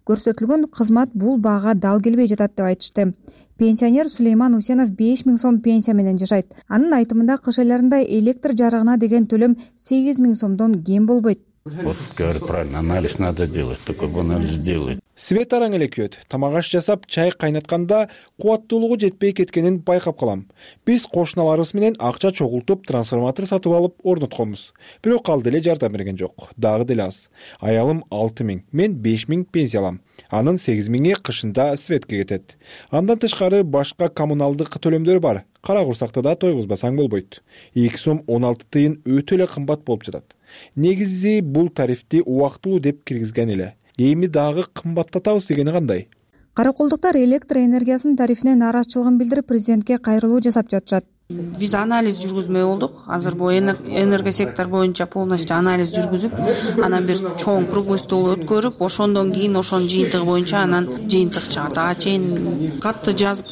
көрсөтүлгөн кызмат бул баага дал келбей жатат деп айтышты. Пенсионер Сулейман Усенов беш миң сом пенсия менен жашайт. Анын айтымында кыш айларында электр жарыгына деген төлөм сегиз миң сомдон кем болбойт. Вот, говорят, правильно, анализ надо делать, только бы анализ делать. Свет араң эле күйөт. Тамак аш жасап, чай кайнатканда кубаттуулугу жетпей кеткенин байкап калам. Биз кошуналарыбыз менен акча чогултуп, трансформатор сатып алып орнотконбуз. Бирок ал деле жардам берген жок. Дагы деле аз. Аялым алты миң, мен беш миң пенсия алам. Анын сегиз миңи кышында светке кетет. Андан тышкары башка коммуналдык төлөмдөр бар. Кара курсакта да тойгузбасаң болбойт. эки сом он алты тыйын өтө эле кымбат болуп жатат. Негизи бул тарифти убактылуу деп киргизген эле. Эми дагы кымбаттатабыз дегени кандай? Каракулдуктар электр энергиясынын тарифине нааразычылыгын билдирип, президентке кайрылуу жасап жатышат. Биз анализ жүргүзмөй болдук. Азыр бул энергосектор боюнча полностью анализ жүргүзүп, анан бир чоң круглый стол өткөрүп, ошондон кийин ошонун жыйынтыгы боюнча анан жыйынтык чыгат. Ага чейин катты жазып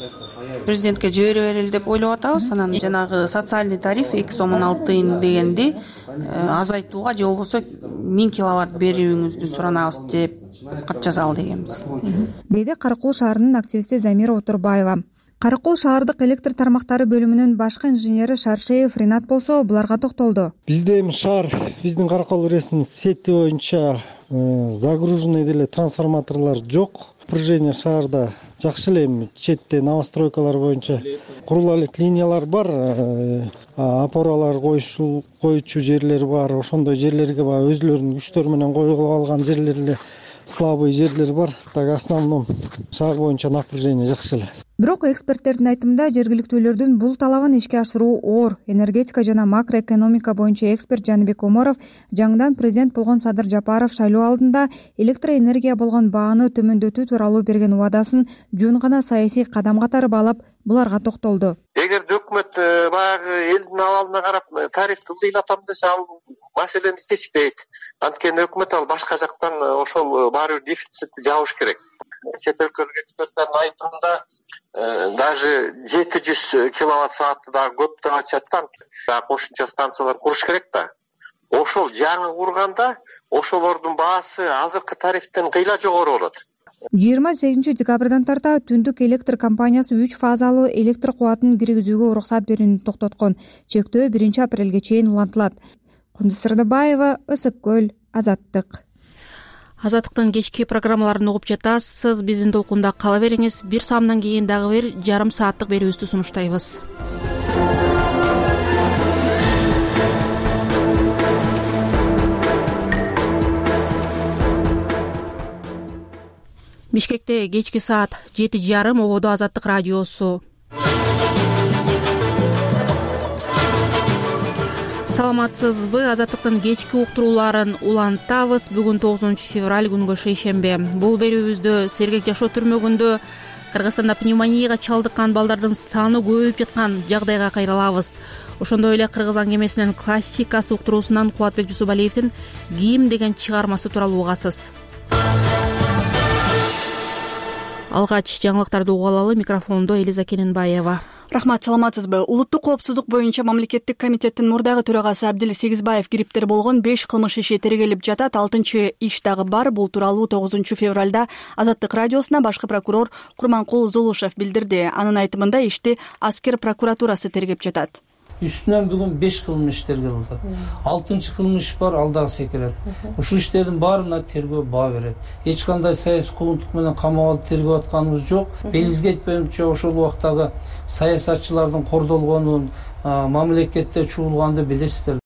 президентке жибере берели деп ойлоп атабыз. Анан жанагы социальный тариф эки сом он алты тыйын дегенди азайтууга же болбосо миң киловатт берүүңүздү суранабыз деп кат жазалы дегенбиз. Деди Каракул шаарынын активисти Замира Отурбаева. Каракул шаардык электр тармактары бөлүмүнүн башкы инженери Шаршеев Ринат болсо буларга токтолду. Бизде эми шаар, биздин Каракул ыресинин сети боюнча загруженный деле трансформаторлор жок. напряжение шаарда жакшы эле, эми четте новостройкалар боюнча курула элек линиялар бар, опоралар коюшу коючу жерлер бар. Ошондой жерлерге баягы өзүлөрүнүн күчтөрү менен коюп алган жерлер эле, слабый жерлер бар. Так основном шаар боюнча напряжение жакшы эле. Бирок эксперттердин айтымында жергиликтүүлөрдүн бул талабын ишке ашыруу оор. Энергетика жана макроэкономика боюнча эксперт Жаныбек Омаров жаңыдан президент болгон Садыр Жапаров шайлоо алдында электроэнергия болгон бааны төмөндөтүү тууралуу берген убадасын жөн гана саясий кадам катары баалап, буларга токтолду. Эгерде өкмөт баягы элдин абалына карап тарифти ылдыйлатам десе, ал маселени чечпейт. Анткени өкмөт ал башка жактан ошол баары бир дефицитти жабыш керек. Чет өлкөлүк эксперттердин айтымында даже жети жүз киловатт саатты дагы көп деп атышат да. Кошумча станциялар куруш керек да. Ошол жаңы курганда ошолордун баасы азыркы тарифтен кыйла жогору болот. жыйырма сегизинчи декабрдан тарта Түндүк электр компаниясы үч фазалуу электр кубатын киргизүүгө уруксат берүүнү токтоткон. Чектөө биринчи апрелге чейин улантылат. Кундуз Сырдыбаева, Ысык көл, Азаттык. Азаттыктын кечки программаларын угуп жатасыз. Биздин толкунда кала бериңиз. Бир саамдан кийин дагы бир жарым сааттык берүүбүздү сунуштайбыз. Бишкекте кечки саат жети жарым, ободо Азаттык радиосу. Саламатсызбы? Азаттыктын кечки уктурууларын улантабыз. Бүгүн тогузунчу февраль күнгө шейшембе. Бул берүүбүздө сергек жашоо түрмөгүндө Кыргызстанда пневмонияга чалдыккан балдардын саны көбөйүп жаткан жагдайга кайрылабыз. Ошондой эле кыргыз аңгемесинин классикасы уктуруусунан Кубатбек Жусубалиевдин «Ким» деген чыгармасы тууралуу угасыз. Алгач жаңылыктарды угуп алалы. Микрофондо Элиза Кененбаева. Рахмат, саламатсызбы? Улуттук коопсуздук боюнча мамлекеттик комитеттин мурдагы төрагасы Абдил Сегизбаев кириптер болгон беш кылмыш иши тергелип жатат. Алтынчы иш дагы бар. Бул тууралуу тогузунчу февралда Азаттык радиосуна башкы прокурор Курманкул Зулушев билдирди. Анын айтымында ишти аскер прокуратурасы тергеп жатат. Үстүнөн бүгүн беш кылмыш тергелип атат. алтынчы кылмыш бар, ал дагы секирет. Ушул иштердин баарына тергөө баа берет. Эч кандай саясий куугунтук менен камап алып тергеп атканыбыз жок. Белизгет боюнча ошол убактагы саясатчылардын кордолгонун, мамлекетте чуулганды билесиздер.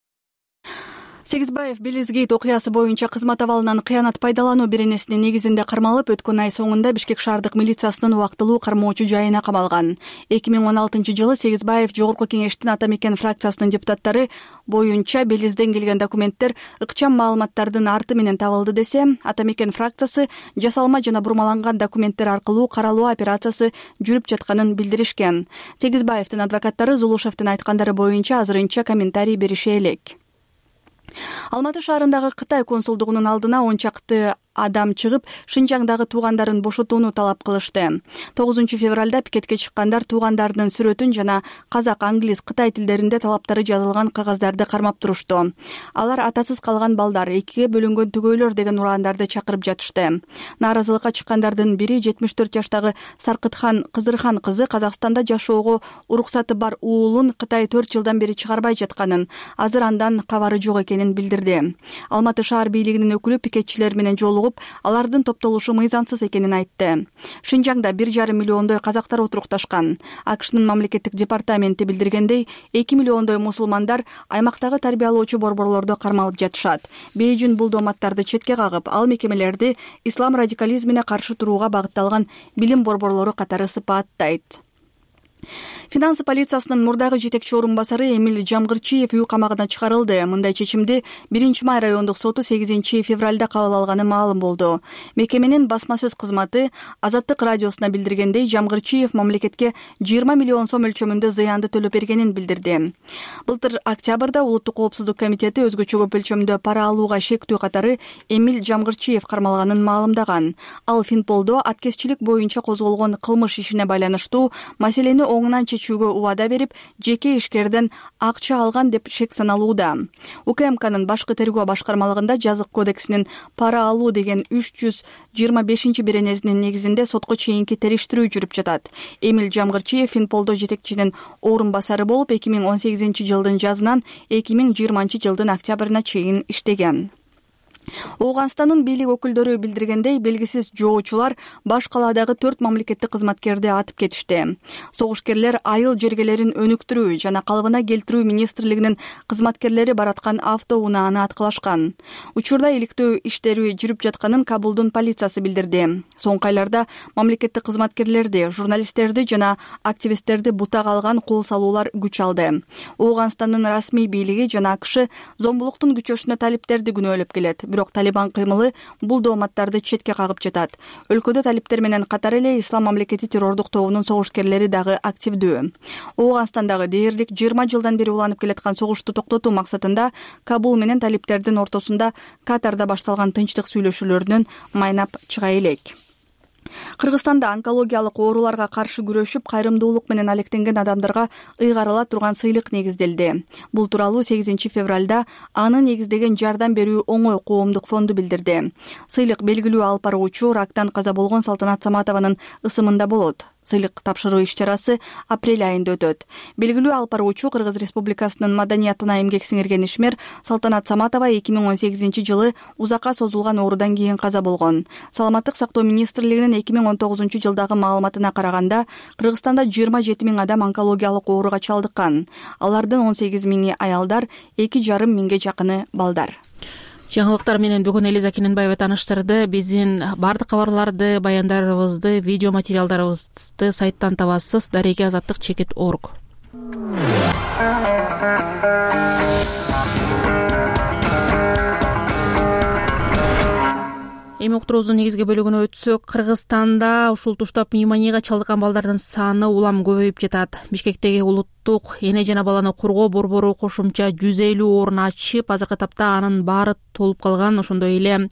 Сегизбаев Белизгейт окуясы боюнча кызмат абалынан кыянат пайдалануу беренесинин негизинде кармалып, өткөн ай соңунда Бишкек шаардык милициясынын убактылуу кармоочу жайына камалган. эки миң он алтынчы жылы Сегизбаев Жогорку кеңештин Ата Мекен фракциясынын депутаттары боюнча Белизден келген документтер ыкчам маалыматтардын арты менен табылды десе, Ата Мекен фракциясы жасалма жана бурмаланган документтер аркылуу каралуу операциясы жүрүп жатканын билдиришкен. Сегизбаевдин адвокаттары Зулушевдин айткандары боюнча азырынча комментарий берише элек. Алматы шаарындагы Кытай консулдугунун алдына он чакты адам чыгып, Шинжаңдагы туугандарын бошотууну талап кылышты. тогузунчу февралда пикетке чыккандар туугандарынын сүрөтүн жана казак, англис, кытай тилдеринде талаптары жазылган кагаздарды кармап турушту. Алар атасыз калган балдар, экиге бөлүнгөн түгөйлөр деген урандарды чакырып жатышты. Нааразылыкка чыккандардын бири жетимиш төрт жаштагы Саркытхан Кызырхан кызы Казакстанда жашоого уруксаты бар уулун Кытай төрт жылдан бери чыгарбай жатканын, азыр андан кабары жок экенин билдирди. Алматы шаар бийлигинин өкүлү пикетчилер менен жолугуп, алардын топтолушу мыйзамсыз экенин айтты. Шинжаңда бир жарым миллиондой казактар отурукташкан. АКШнын мамлекеттик департаменти билдиргендей, эки миллиондой мусулмандар аймактагы тарбиялоочу борборлордо кармалып жатышат. Бейжин бул дооматтарды четке кагып, ал мекемелерди ислам радикализмине каршы турууга багытталган билим борборлору катары сыпааттайт. Финансы полициясынын мурдагы жетекчи орун басары Эмиль Жамгырчиев үй камагына чыгарылды. Мындай чечимди биринчи май райондук соту сегизинчи февралда кабыл алганы маалым болду. Мекеменин басма сөз кызматы Азаттык радиосуна билдиргендей, Жамгырчиев мамлекетке жыйырма миллион сом өлчөмүндө зыянды төлөп бергенин билдирди. Былтыр октябрда Улуттук коопсуздук комитети өзгөчө көп өлчөмдө пара алууга шектүү катары Эмиль Жамгырчиев кармалганын маалымдаган. Ал Финполдо аткезчилик боюнча козголгон кылмыш ишине байланыштуу маселени оңунан чечүүгө убада берип, жеке ишкерден акча алган деп шек саналууда. УКМКнын башкы тергөө башкармалыгында жазык кодексинин пара алуу деген үч жүз жыйырма бешинчи беренесинин негизинде сотко чейинки териштирүү жүрүп жатат. Эмиль Жамгырчиев Финполдо жетекчинин орун басары болуп, эки миң он сегизинчи жылдын жазынан эки миң жыйырманчы жылдын октябрына чейин иштеген. Ооганстандын бийлик өкүлдөрү билдиргендей, белгисиз жоочулар баш калаадагы төрт мамлекеттик кызматкерди атып кетишти. Согушкерлер айыл жергелерин өнүктүрүү жана калыбына келтирүү министрлигинин кызматкерлери бараткан автоунааны аткылашкан. Учурда иликтөө иштери жүрүп жатканын Кабулдун полициясы билдирди. Соңку айларда мамлекеттик кызматкерлерди, журналисттерди жана активисттерди бутага алган кол салуулар күч алды. Ооганстандын расмий бийлиги жана АКШ зомбулуктун күчөшүнө талиптерди күнөөлөп келет. Бирок Талибан кыймылы бул дооматтарды четке кагып жатат. Өлкөдө талиптер менен катар эле Ислам мамлекети террордук тобунун согушкерлери дагы активдүү. Ооганстандагы дээрлик жыйырма жылдан бери уланып келаткан согушту токтотуу максатында Кабул менен талиптердин ортосунда Катарда башталган тынчтык сүйлөшүүлөрүнөн майнап чыга элек. Кыргызстанда онкологиялык ооруларга каршы күрөшүп, кайрымдуулук менен алектенген адамдарга ыйгарыла турган сыйлык негизделди. Бул тууралуу сегизинчи февралда аны негиздеген Жардам берүү оңой коомдук фонду билдирди. Сыйлык белгилүү алып баруучу рактан каза болгон Салтанат Саматованын ысымында болот. Сыйлык тапшыруу иш-чарасы апрель айында өтөт. Белгилүү алып баруучу Кыргыз Республикасынын маданиятына эмгек сиңирген ишмер Салтанат Саматова эки миң он сегизинчи жылы узакка созулган оорудан кийин каза болгон. Саламаттык сактоо министрлигинин эки миң он тогузунчу жылдагы маалыматына караганда, Кыргызстанда жыйырма жети миң адам онкологиялык ооруга чалдыккан. Алардын он сегиз миңи аялдар, эки жарым миңге жакыны балдар. Жаңылыктар менен бүгүн Элиза Кененбаева тааныштырды. Биздин бардык кабарларды, баяндарыбызды, видео материалдарыбызды сайттан табасыз. дареги азаттык чекит точка орг. Эми уктуруубуздун негизги бөлүгүнө өтсөк, Кыргызстанда ушул тушта пневмонияга чалдыккан балдардын саны улам көбөйүп жатат. Бишкектеги улуттук эне жана баланы коргоо борбору кошумча жүз элүү орун ачып, азыркы тапта анын баары толуп калган. Ошондой эле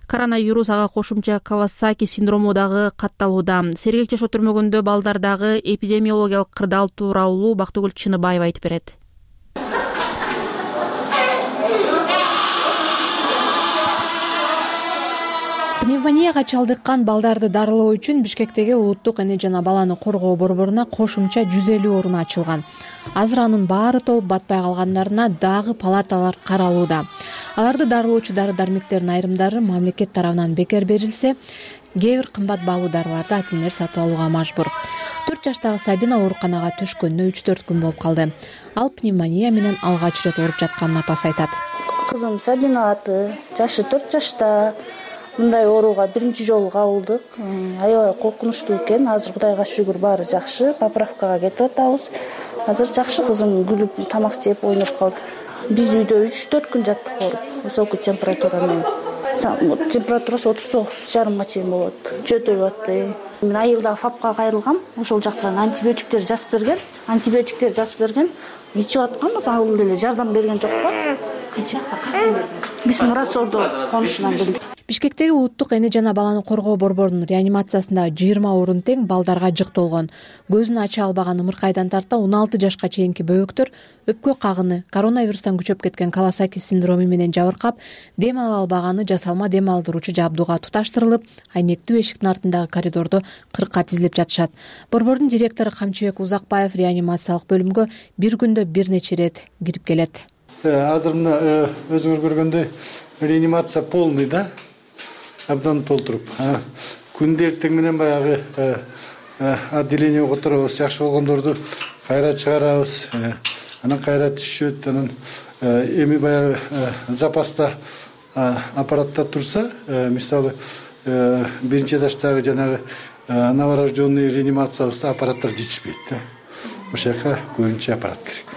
коронавирус ага кошумча Кавасаки синдрому дагы катталууда. Сергек жашоо түрмөгүндө балдардагы эпидемиологиялык кырдаал тууралуу Бактыгүл Чыныбаева айтып берет. Пневмонияга чалдыккан балдарды дарылоо үчүн Бишкектеги улуттук эне жана баланы коргоо борборуна кошумча жүз элүү орун ачылган. Азыр анын баары толуп батпай калгандарына дагы палаталар каралууда. Аларды дарылоочу дары-дармектердин айрымдары мамлекет тарабынан бекер берилсе, кээ бир кымбат баалуу дарыларды ата-энелер сатып алууга мажбур. төрт жаштагы Сабина ооруканага түшкөнүнө үч төрт күн болуп калды. Ал пневмония менен алгач ирет ооруп жатканын апасы айтат. Кызым Сабина аты, жашы төрт жашта. Мындай ооруга биринчи жолу кабылдык. Аябай коркунучтуу экен. Азыр Кудайга шүгүр баары жакшы. Поправкага кетип атабыз. Азыр жакшы, кызым күлүп, тамак жеп, ойноп калды. Биз үйдө үч төрт күн жаттык ооруп, высокий температура менен. Температурасы отуз тогуз жарымга чейин болот. Жөтөлүп атты. Мен айылда ФАПка кайрылгам. Ошол жактан антибиотиктер жазып берген. Антибиотиктер жазып берген. Ичип атканбыз, ал деле жардам берген жокпу? Биз Мурасордо конушунан билдик. Бишкектеги улуттук эне жана баланы коргоо борборунун реанимациясында жыйырма орун тең балдарга жыктолгон. Көзүн ача албаган ымыркайдан тарта он алты жашка чейинки бөбөктөр өпкө кагыны, коронавирустан күчөп кеткен Кавасаки синдрому менен жабыркап, дем ала албаганы жасалма дем алдыруучу жабдууга туташтырылып, айнектүү эшиктин артындагы коридордо кыркка тизилип жатышат. Борбордун директору Камчыбек Узакбаев реанимациялык бөлүмгө бир күндө бир нече ирет кирип келет. Азыр мына өзүңөр көргөндөй реанимация полный да. Абдан толтуруп. Күндө эртең менен баягы отделение которобуз, жакшы болгондорду кайра чыгарабыз. Анан кайра түшөт. Анан эми баягы запаста аппаратта турса, мисалы биринчи этаждагы жанагы новорожденный реанимациябызда аппараттар жетишпейт да. Ошол жака көбүнчө аппарат керек.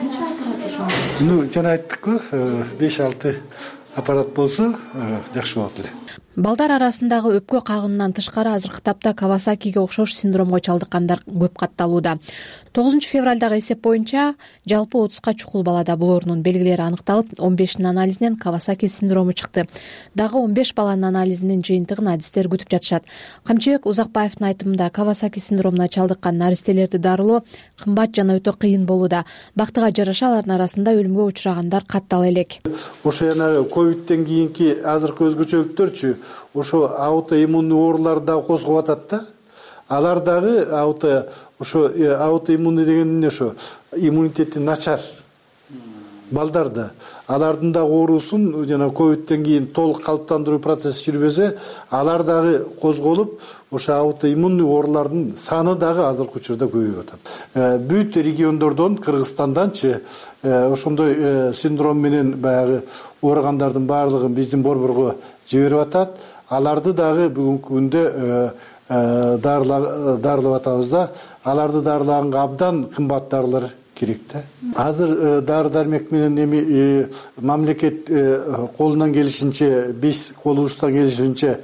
Ну, жана айттык-ку, беш алты аппарат болсо жакшы болот эле. Балдар арасындагы өпкө кагынынан тышкары азыркы тапта Кавасакиге окшош синдромго чалдыккандар көп катталууда. тогузунчу февралдагы эсеп боюнча жалпы отузга чукул балада бул оорунун белгилери аныкталып, он бешинин анализинен Кавасаки синдрому чыкты. Дагы он беш баланын анализинин жыйынтыгын адистер күтүп жатышат. Камчыбек Узакбаевдин айтымында Кавасаки синдромуна чалдыккан наристелерди дарылоо кымбат жана өтө кыйын болууда. Бактыга жараша алардын арасында өлүмгө учурагандар каттала элек. Ошо жанагы ковидтен кийинки азыркы өзгөчөлүктөрчү ошо аутоиммундуу оорулар дагы козгоп атат да. Алар дагы ауто ошо аутоиммундуу деген эмне ошо иммунитети начар. балдарда алардын дагы оорусун жана ковидтен кийин толук калыптандыруу процесси жүрбөсө алар дагы козголуп ошо аутоиммунный оорулардын саны дагы азыркы учурда көбөйүп атат. Бүт региондордон, Кыргызстанданчы ошондой синдром менен баягы ооругандардын баардыгын биздин борборго жиберип атат. Аларды дагы бүгүнкү күндө дарылап атабыз да, аларды дарылаганга абдан кымбат дарылар керек да. Азыр дары дармек менен эми мамлекет колунан келишинче, биз колубуздан келишинче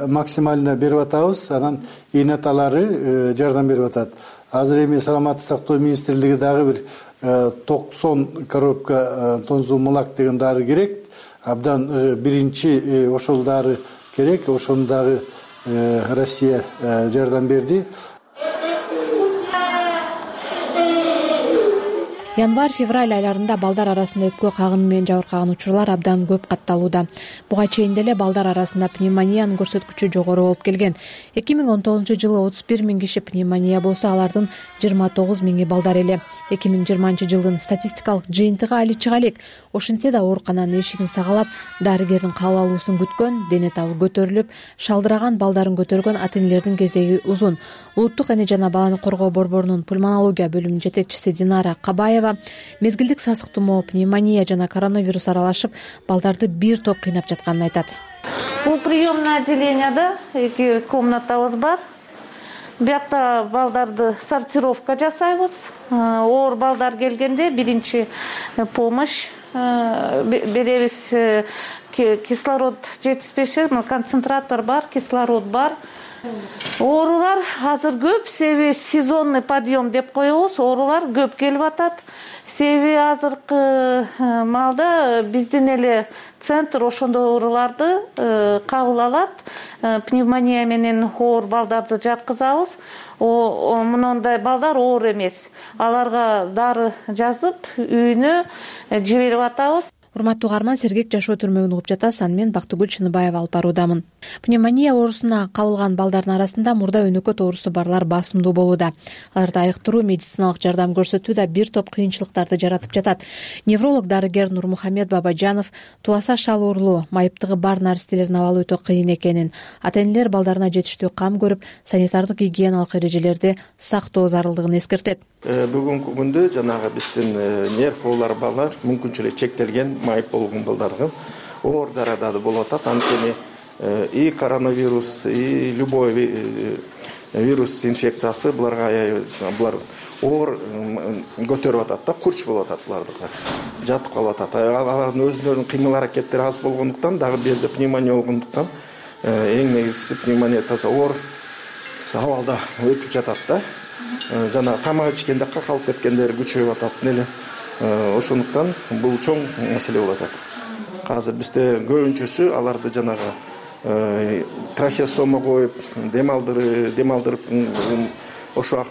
максимально берип атабыз. Анан ээнаталары жардам берип атат. Азыр эми саламаттык сактоо министрлиги дагы бир токсон коробка тонзумулак деген дары керек. Абдан биринчи ошол дары керек. Ошону дагы Россия жардам берди. Январь-февраль айларында балдар арасында өпкө кагыны менен жабыркаган учурлар абдан көп катталууда. Буга чейин деле балдар арасында пневмониянын көрсөткүчү жогору болуп келген. эки миң он тогузунчу жылы отуз бир миң киши пневмония болсо, алардын жыйырма тогуз миңи балдар эле. эки миң жыйырманчы жылдын статистикалык жыйынтыгы али чыга элек. Ошентсе да оорукананын эшигин сагалап, дарыгердин кабыл алуусун күткөн, дене табы көтөрүлүп, шалдыраган балдарын көтөргөн ата-энелердин кезеги узун. Улуттук эне жана баланы коргоо борборунун пульмонология бөлүмүнүн жетекчиси Динара Кабаева мезгилдик сасык тумоо, пневмония жана коронавирус аралашып, балдарды бир топ кыйнап жатканын айтат. Бул приемный отделенияда эки комнатабыз бар. Биякта балдарды сортировка жасайбыз. Оор балдар келгенде биринчи помощь беребиз. Кислород жетишпеши, концентратор бар, кислород бар. Оорулар азыр көп, себеби сезонный подъем деп коебуз. Оорулар көп келип атат. Себеби азыркы маалда биздин эле центр ошондой ооруларды кабыл алат. Пневмония менен оор балдарды жаткызабыз. Мындай балдар оор эмес. Аларга дары жазып, үйүнө жиберип атабыз. Урматтуу угарман, сергек жашоо түрмөгүн угуп жатасыз. Аны мен Бактыгүл Чыныбаева алып баруудамын. Пневмония оорусуна кабылган балдардын арасында мурда өнөкөт оорусу барлар басымдуу болууда. Аларды айыктыруу, медициналык жардам көрсөтүү да бир топ кыйынчылыктарды жаратып жатат. Невролог дарыгер Нурмухамед Бабажанов туаса шал оорулуу, майыптыгы бар наристелерин абалы өтө кыйын экенин, ата-энелер балдарына жетиштүү кам көрүп, санитардык гигиеналык эрежелерди сактоо зарылдыгын эскертет. Бүгүнкү күндө жанагы биздин нерв оорулары балдар мүмкүнчүлүгү чектелген майып болгон балдардын оор дарада болуп атат. Анткени и коронавирус, и любой вирус инфекциясы буларга булар оор көтөрүп атат да, курч болуп атат булардыкы. Жатып калып атат. Алардын өзүнүн кыймыл аракеттери аз болгондуктан, дагы бирде пневмония болгондуктан эң негизгиси пневмония таза оор абалда өтүп жатат да. Жана тамак ичкенде какалып кеткендер күчөйүп атат эле. Ошондуктан бул чоң маселе болуп атат. Азыр бизде көбүнчөсү аларды жанагы трахеостома коюп, дем алдырып, дем алдырып ошо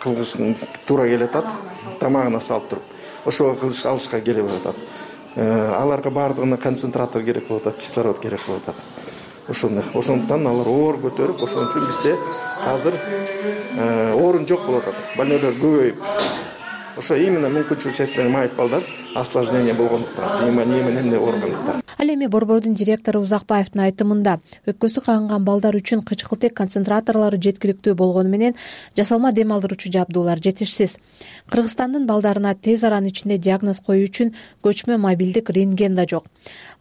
кылыш туура келип атат, тамагына салып туруп. Ошо кылыш алышка келип атат. Аларга баардыгына концентратор керек болуп атат, кислород керек болуп атат. Ошондой. Ошондуктан алар оор көтөрүп, ошон үчүн бизде азыр орун жок болуп атат. Больнойлор көбөйүп. Ошо именно мүмкүнчүлүгү чектелген майып балдар осложнение болгондуктан, пневмония менен ооругандыктар. Ал эми борбордун директору Узакбаевдин айтымында, өпкөсү кагынган балдар үчүн кычкылтек концентраторлору жеткиликтүү болгону менен жасалма дем алдыруучу жабдуулар жетишсиз. Кыргызстандын балдарына тез аранын ичинде диагноз коюу үчүн көчмө мобилдик рентген да жок.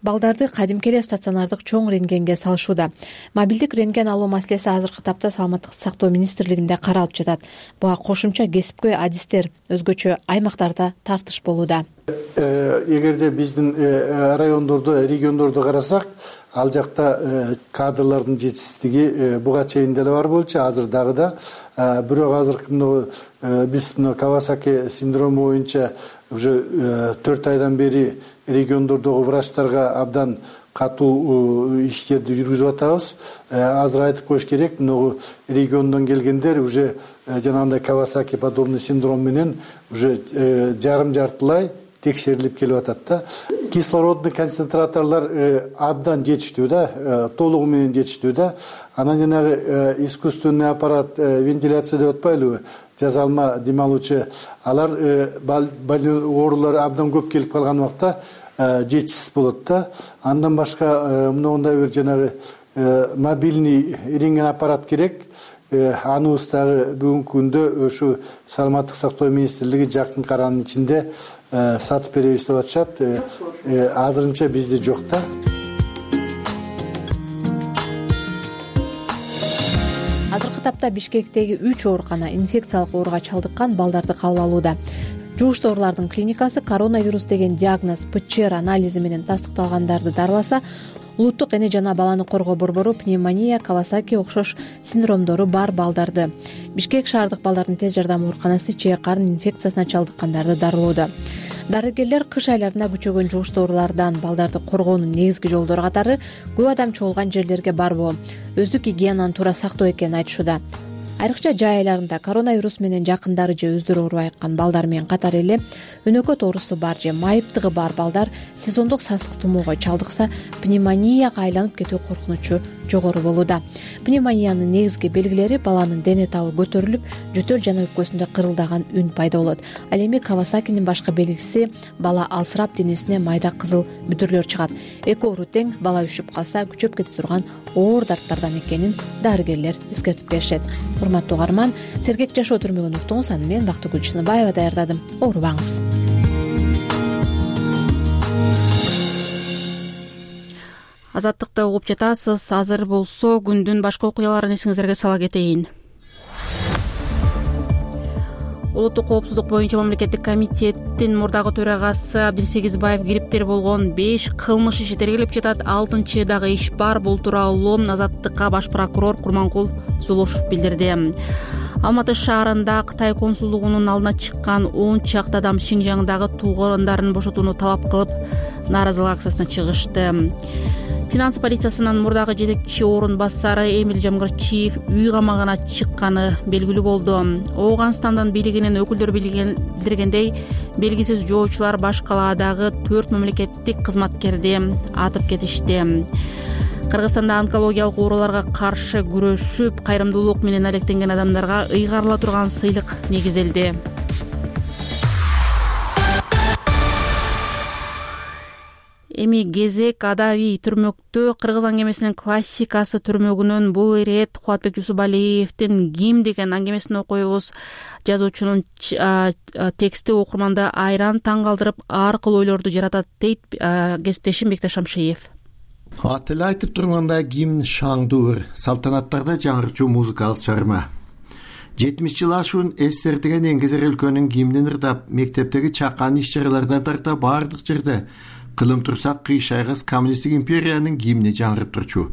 Балдарды кадимки эле стационардык чоң рентгенге салышууда. Мобилдик рентген алуу маселеси азыркы тапта Саламаттык сактоо министрлигинде каралып жатат. Буга кошумча кесипкөй адистер өзгөчө аймактарда тартыш болууда. Эгерде биздин райондордо, региондордо карасак, ал жакта кадрлардын жетишсиздиги буга чейин деле бар болчу, азыр дагы да. Бирок азыркы биз Кавасаки синдрому боюнча уже төрт айдан бери региондордогу врачтарга абдан катуу иштерди жүргүзүп атабыз. Азыр айтып коюш керек, могу региондон келгендер уже жанагындай Кавасаки подобный синдром менен уже жарым жартылай текшерилип келип атат да. Кислородный концентраторлор абдан жетиштүү да, толугу менен жетиштүү да. Анан жанагы искусственный аппарат, вентиляция деп атпайлыбы, жазалма дем алуучу, алар больной оорулар абдан көп келип калган убакта жетишсиз болот да. Андан башка мындай бир жанагы мобильный рентген аппарат керек. Аныбыз дагы бүгүнкү күндө ушу саламаттык сактоо министрлиги жакын каранын ичинде сатып беребиз деп атышат. Азырынча бизде жок да. Азыркы тапта Бишкектеги үч оорукана инфекциялык ооруга чалдыккан балдарды кабыл алууда. Жугуштуу оорулардын клиникасы коронавирус деген диагноз ПЧР анализи менен тастыкталгандарды дарыласа, улуттук эне жана баланы коргоо борбору пневмония, Кавасаки окшош синдромдору бар балдарды, Бишкек шаардык балдардын тез жардам ооруканасы чээ карын инфекциясына чалдыккандарды дарылоодо. Дарыгерлер кыш айларында күчөгөн жугуштуу оорулардан балдарды коргоонун негизги жолдору катары көп адам чогулган жерлерге барбоо, өздүк гигиенаны туура сактоо экенин айтышууда. Айрыкча жай айларында коронавирус менен жакындары же өздөрү оорубай айыккан балдар менен катар эле өнөкөт оорусу бар же майыптыгы бар балдар сезондук сасык тумоого чалдыкса, пневмонияга айланып кетүү коркунучу жогору болууда. Пневмониянын негизги белгилери баланын дене табы көтөрүлүп, жөтөл жана өпкөсүндө кырылдаган үн пайда болот. Ал эми Кавасакинин башка белгиси бала алсырап денесине майда кызыл бүтүрлөр чыгат. Эки оору тең, бала үшүп калса күчөп кете турган оор дарттардан экенин дарыгерлер эскертип беришет. Урматтуу угарман, сергек жашоо түрмөгүн уктуңуз. Аны мен Бактыгүл Чыныбаева даярдадым. Оорубаңыз. Азаттыкты угуп жатасыз. Азыр болсо күндүн башка окуяларын эсиңиздерге сала кетейин. Улуттук коопсуздук боюнча мамлекеттик комитеттин мурдагы төрагасы Абдилсегизбаев кириптер болгон беш кылмыш иши тергелип жатат. Алтынчы дагы иш бар. Бул тууралуу Азаттыкка баш прокурор Курманкул Зулушев билдирди. Алматы шаарында Кытай консулдугунун алдына чыккан он чакты адам Шинжаңдагы туугандарын бошотууну талап кылып, нааразылык акциясына чыгышты. Финанс полициясынын мурдагы жетекчи орун басары Эмил Жамгырчиев үй камагына чыкканы белгилүү болду. Ооганстандын бийлигинин өкүлдөрү билдиргендей, белгисиз жоочулар баш калаадагы төрт мамлекеттик кызматкерди атып кетишти. Кыргызстанда онкологиялык ооруларга каршы күрөшүп, кайрымдуулук менен алектенген адамдарга ыйгарыла турган сыйлык негизделди. Эми Кезек Адави түрмөктө кыргыз аңгемесинин классикасы түрмөгүнөн бул ирет Кубатбек Жусупалиевдин Гим деген аңгемесин окуйбуз. Жазуучунун тексти окурманды айран таң калтырып, ар кыл ойлорду жаратат, дейт кесиптешим Бектеш Шамшиев. Аты эле айтып тургандай, гимн шаңдуур, салтанаттарда жаңырчу музыкалык чыгарма. жетимиш жыл ашуун СССР деген эңгезер өлкөнүн гимнин ырдап, мектептеги чакан иш-чаралардан тарта баардык жерде кылым турсак кыйшайгыс коммунисттик империянын гимни жаңырып турчу.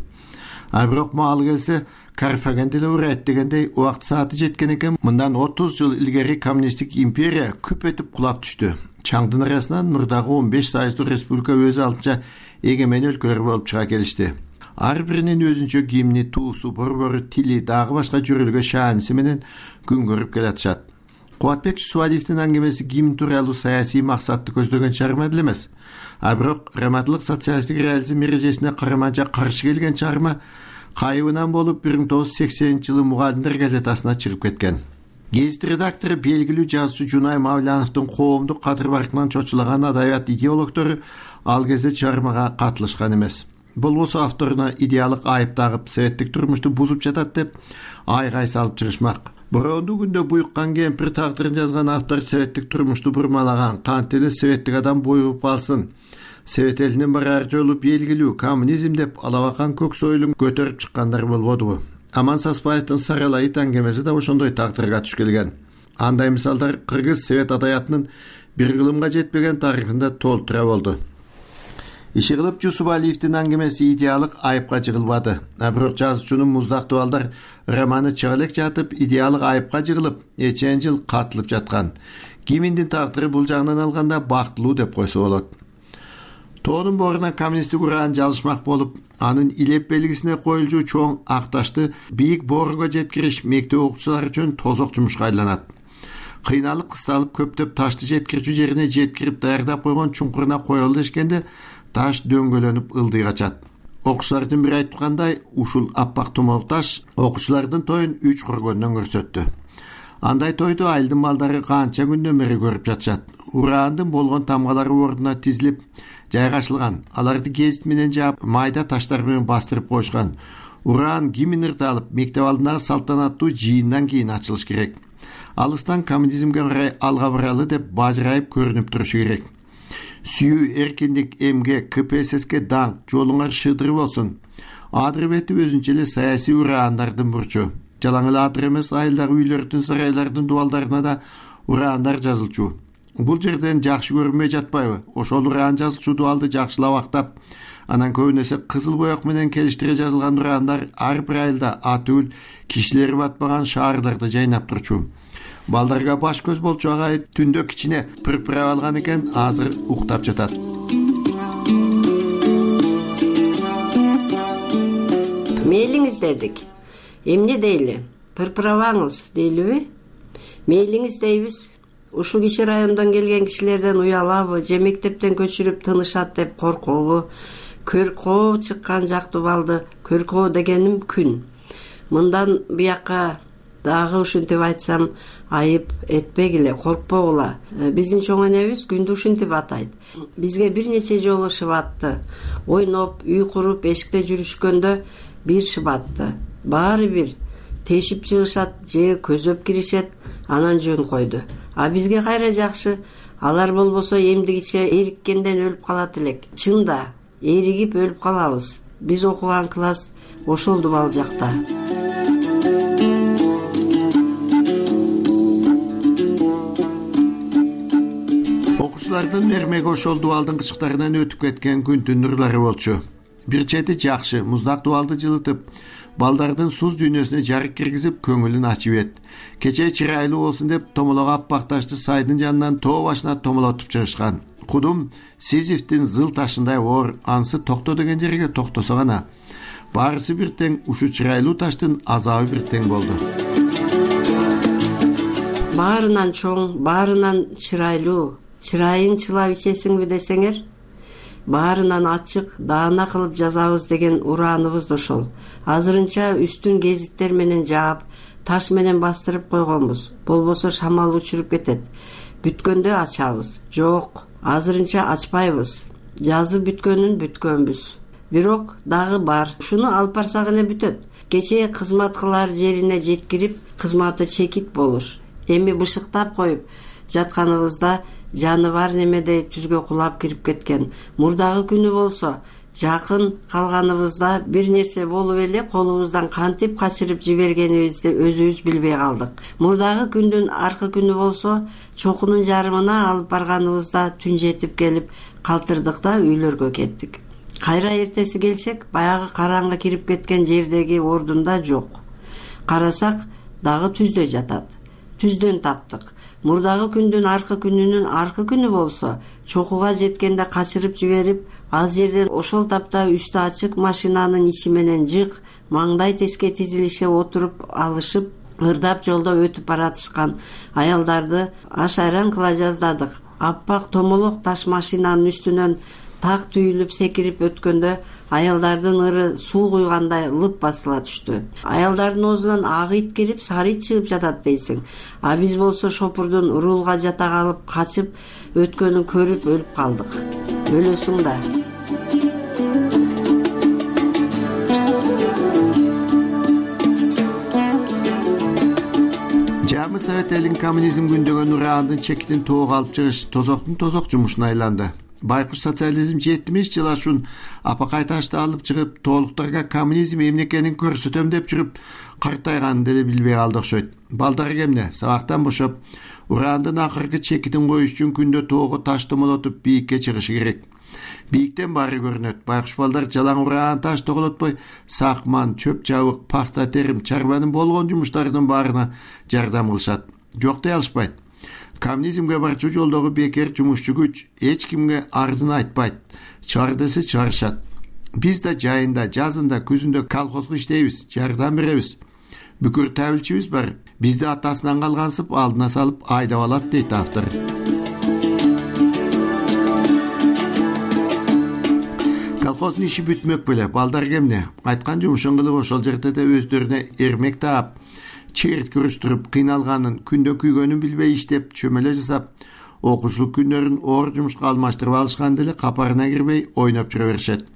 А бирок маалы келсе, Карфаген деле урайт дегендей убакыт сааты жеткен экен. Мындан отуз жыл илгери коммунисттик империя күп этип кулап түштү. Чаңдын арасынан мурдагы он беш сайыздуу республика өз алдынча эгемен өлкөлөр болуп чыга келишти. Ар биринин өзүнчө гимни, туусу, борбору, тили, дагы башка жөрөлгө шааниси менен күн көрүп келатышат. Кубатбек Жусупалиевдин аңгемеси гимн тууралуу саясий максатты көздөгөн чыгарма эле эмес. А бирок раматылык социалисттик реализм эрежесине карама-каршы каршы келген чыгарма кайыбынан болуп бир миң тогуз жүз сексенинчи жылы Мугалимдер газетасына чыгып кеткен. Гезит редактору белгилүү жазуучу Жунай Мавляновдун коомдук кадыр баркынан чочулаган адабият идеологдору ал кезде чыгармага катылышкан эмес. Болбосо авторуна идеалык айып тагып, советтик турмушту бузуп жатат деп айгай салып чыгышмак. Бороондуу күндө буйуккан кемпир тагдырын жазган автор советтик турмушту бурмалаган, кантип эле советтик адам боюп калсын. Совет элинин барар жолу белгилүү, коммунизм деп алабакан көк сойлун көтөрүп чыккандар болбодубу? Аман Саспаевдин Саралайыт аңгемеси да ошондой тагдырга туш келген. Андай мисалдар кыргыз совет адаятынын бир кылымга жетпеген тарыхында толтура болду. Иши кылып Жусупалиевдин аңгемеси идеалык айыпка жыгылбады. А бирок жазуучунун Муздактуу балдар романы чыга элек жатып, идеалык айыпка жыгылып, эчен жыл катылып жаткан. Гиминдин тагдыры бул жагынан алганда бактылуу деп койсо болот. Тоонун боруна коммунисттик ураан жалышмак болуп, анын илеп белгисине коюлчу чоң ак ташты бийик борго жеткириш мектеп окуучулары үчүн тозок жумушка айланат. кыйналып кысталып көптөп ташты жеткирүүчү жерине жеткирип даярдап койгон чуңкуруна коелу дешкенде таш дөңгөлөнүп ылдый качат. Окуучулардын бири айткандай, ушул аппак томолук таш окуучулардын тоюн үч көргөндөн көрсөттү. Андай тойду айылдын балдары канча күндөн бери көрүп жатышат. Ураандын болгон тамгалары ордуна тизилип жайгашылган. Аларды гезит менен жаап, майда таштар менен бастырып коюшкан. Ураан гимн ырталып, мектеп алдындагы салтанаттуу жыйындан кийин ачылыш керек. Алыстан коммунизмге карай алга баралы деп бажырайып көрүнүп турушу керек. Сүйүү, эркиндик, эмгек, ка пэ эс эске даңк, жолуңар шыдыр болсун. Адыр бети өзүнчө эле саясий ураандардын бурчу. Жалаң эле адыр эмес, айылдагы үйлөрдүн, сарайлардын дубалдарына да ураандар жазылчу. Бул жерден жакшы көрүнбөй жатпайбы? Ошол ураан жазылчу дубалды жакшылап актап, анан көбүнесе кызыл боек менен келиштире жазылган ураандар ар бир айылда атүл, кишилери батпаган шаарларда жайнап турчу. Балдарга баш көз болчу агай түндө кичине пырпырап алган экен, азыр уктап жатат. Мейлиңиз дедик. Эмне дейли? Пырпырабаңыз дейлиби? Мейлиңиз дейбиз. Ушул киши райондон келген кишилерден уялабы, же мектептен көчүрүп тынышат деп коркобу? Көркөө чыккан жактуу балды, көркөө дегеним күн. Мындан буякка дагы ушинтип айтсам айып этпегиле, коркпогула. Биздин чоң энебиз күндү ушинтип атайт. Бизге бир нече жолу шыбатты. Ойноп, үй куруп, эшикте жүрүшкөндө бир шыбатты. Баары бир тешип чыгышат же көзөп киришет, анан жөн койду. А бизге кайра жакшы. Алар болбосо эмдигиче эриккенден өлүп калат элек. Чында, эригип өлүп калабыз. Биз окуган класс ошол дубал жакта. Окуучулардын мермеги ошол дубалдын кычыктарынан өтүп кеткен күндүн нурлары болчу. Бир чети жакшы, муздак дубалды жылытып, балдардын суз дүйнөсүнө жарык киргизип, көңүлүн ачып эт. Кече чырайлуу болсун деп томолого аппак ташты сайдын жанынан тоо башына томолотуп чыгышкан. Кудум Сизифтин зыл ташындай оор, анысы токто деген жерге токтосо гана. Баарысы бир тең, ушу чырайлуу таштын азабы бир тең болду. Баарынан чоң, баарынан чырайлуу, чырайын чылап ичесиңби десеңер, баарынан ачык, даана кылып жазабыз деген урааныбыз да ошол. Азырынча үстүн гезиттер менен жаап, таш менен бастырып койгонбуз. Болбосо шамал учуруп кетет. Бүткөндө ачабыз. Жок, азырынча ачпайбыз. Жазып бүткөнүн бүткөнбүз. Бирок дагы бар. Ушуну алып барсак эле бүтөт. Кечээ кызмат кылар жерине жеткирип, кызматы чекит болуш. Эми бышыктап коюп жатканыбызда жаны бар немедей түзгө кулап кирип кеткен. Мурдагы күнү болсо жакын калганыбызда бир нерсе болуп эле колубуздан кантип качырып жибергенибизди өзүбүз билбей калдык. Мурдагы күндүн аркы күнү болсо чокунун жарымына алып барганыбызда түн жетип келип калтырдык да үйлөргө кеттик. Кайра эртеси келсек, баягы караңгы кирип кеткен жердеги ордунда жок. Карасак дагы түздө жатат. Түздөн таптык. Мурдагы күндүн аркы күнүнүн аркы күнү болсо чокуга жеткенде качырып жиберип, аз жерден ошол тапта үстү ачык машинанын ичи менен жык, маңдай теске тизилише отуруп алышып, ырдап жолдо өтүп баратышкан аялдарды аш айран кыла жаздадык. Аппак томолок таш машинанын үстүнөн так түйүлүп секирип өткөндө аялдардын ыры суу куйгандай лып басыла түштү. Аялдардын оозунан ак ит кирип, сары ит чыгып жатат дейсиң. А биз болсо шопурдун урулга жата калып, качып өткөнүн көрүп өлүп калдык. Өлөсүң да. Жамы Совет элин коммунизм күндөгөн ураандын чекитин тоого алып чыгыш тозоктун тозок жумушуна айланды. Байкуш социализм жетимиш жыл ашуун апакай ташты алып чыгып, тоолуктарга коммунизм эмне экенин көрсөтөм деп жүрүп, картайганын деле билбей калды окшойт. Балдар кемне сабактан бошоп, ураандын акыркы чекитин коюш үчүн күндө тоого таш томолотуп бийикке чыгышы керек. Бийиктен баары көрүнөт. Байкуш балдар жалаң ураан таш тоголотпой, сакман, чөп чабык, пахта терим, чарбанын болгон жумуштарынын баарына жардам кылышат. Жок дей алышпайт. Коммунизмге барчу жолдогу бекер жумушчу күч эч кимге арызын айтпайт. Чыгар десе чыгарышат. Биз да жайында, жазында, күзүндө колхозго иштейбиз, жардам беребиз. Бүкүр табилчибиз бар. Бизди атасынан калгансып алдына салып айдап алат дейт автор. Колхоздун иши бүтмөк беле, балдар кемне? Айткан жумушун кылып ошол жерде да өздөрүнө эрмек таап, черт күрүстүрүп, кыйналганын, күндө күйгөнүн билбей иштеп, чөмөлө жасап, окуучулук күндөрүн оор жумушка алмаштырып алышкан деле капарына кирбей ойноп жүрө беришет.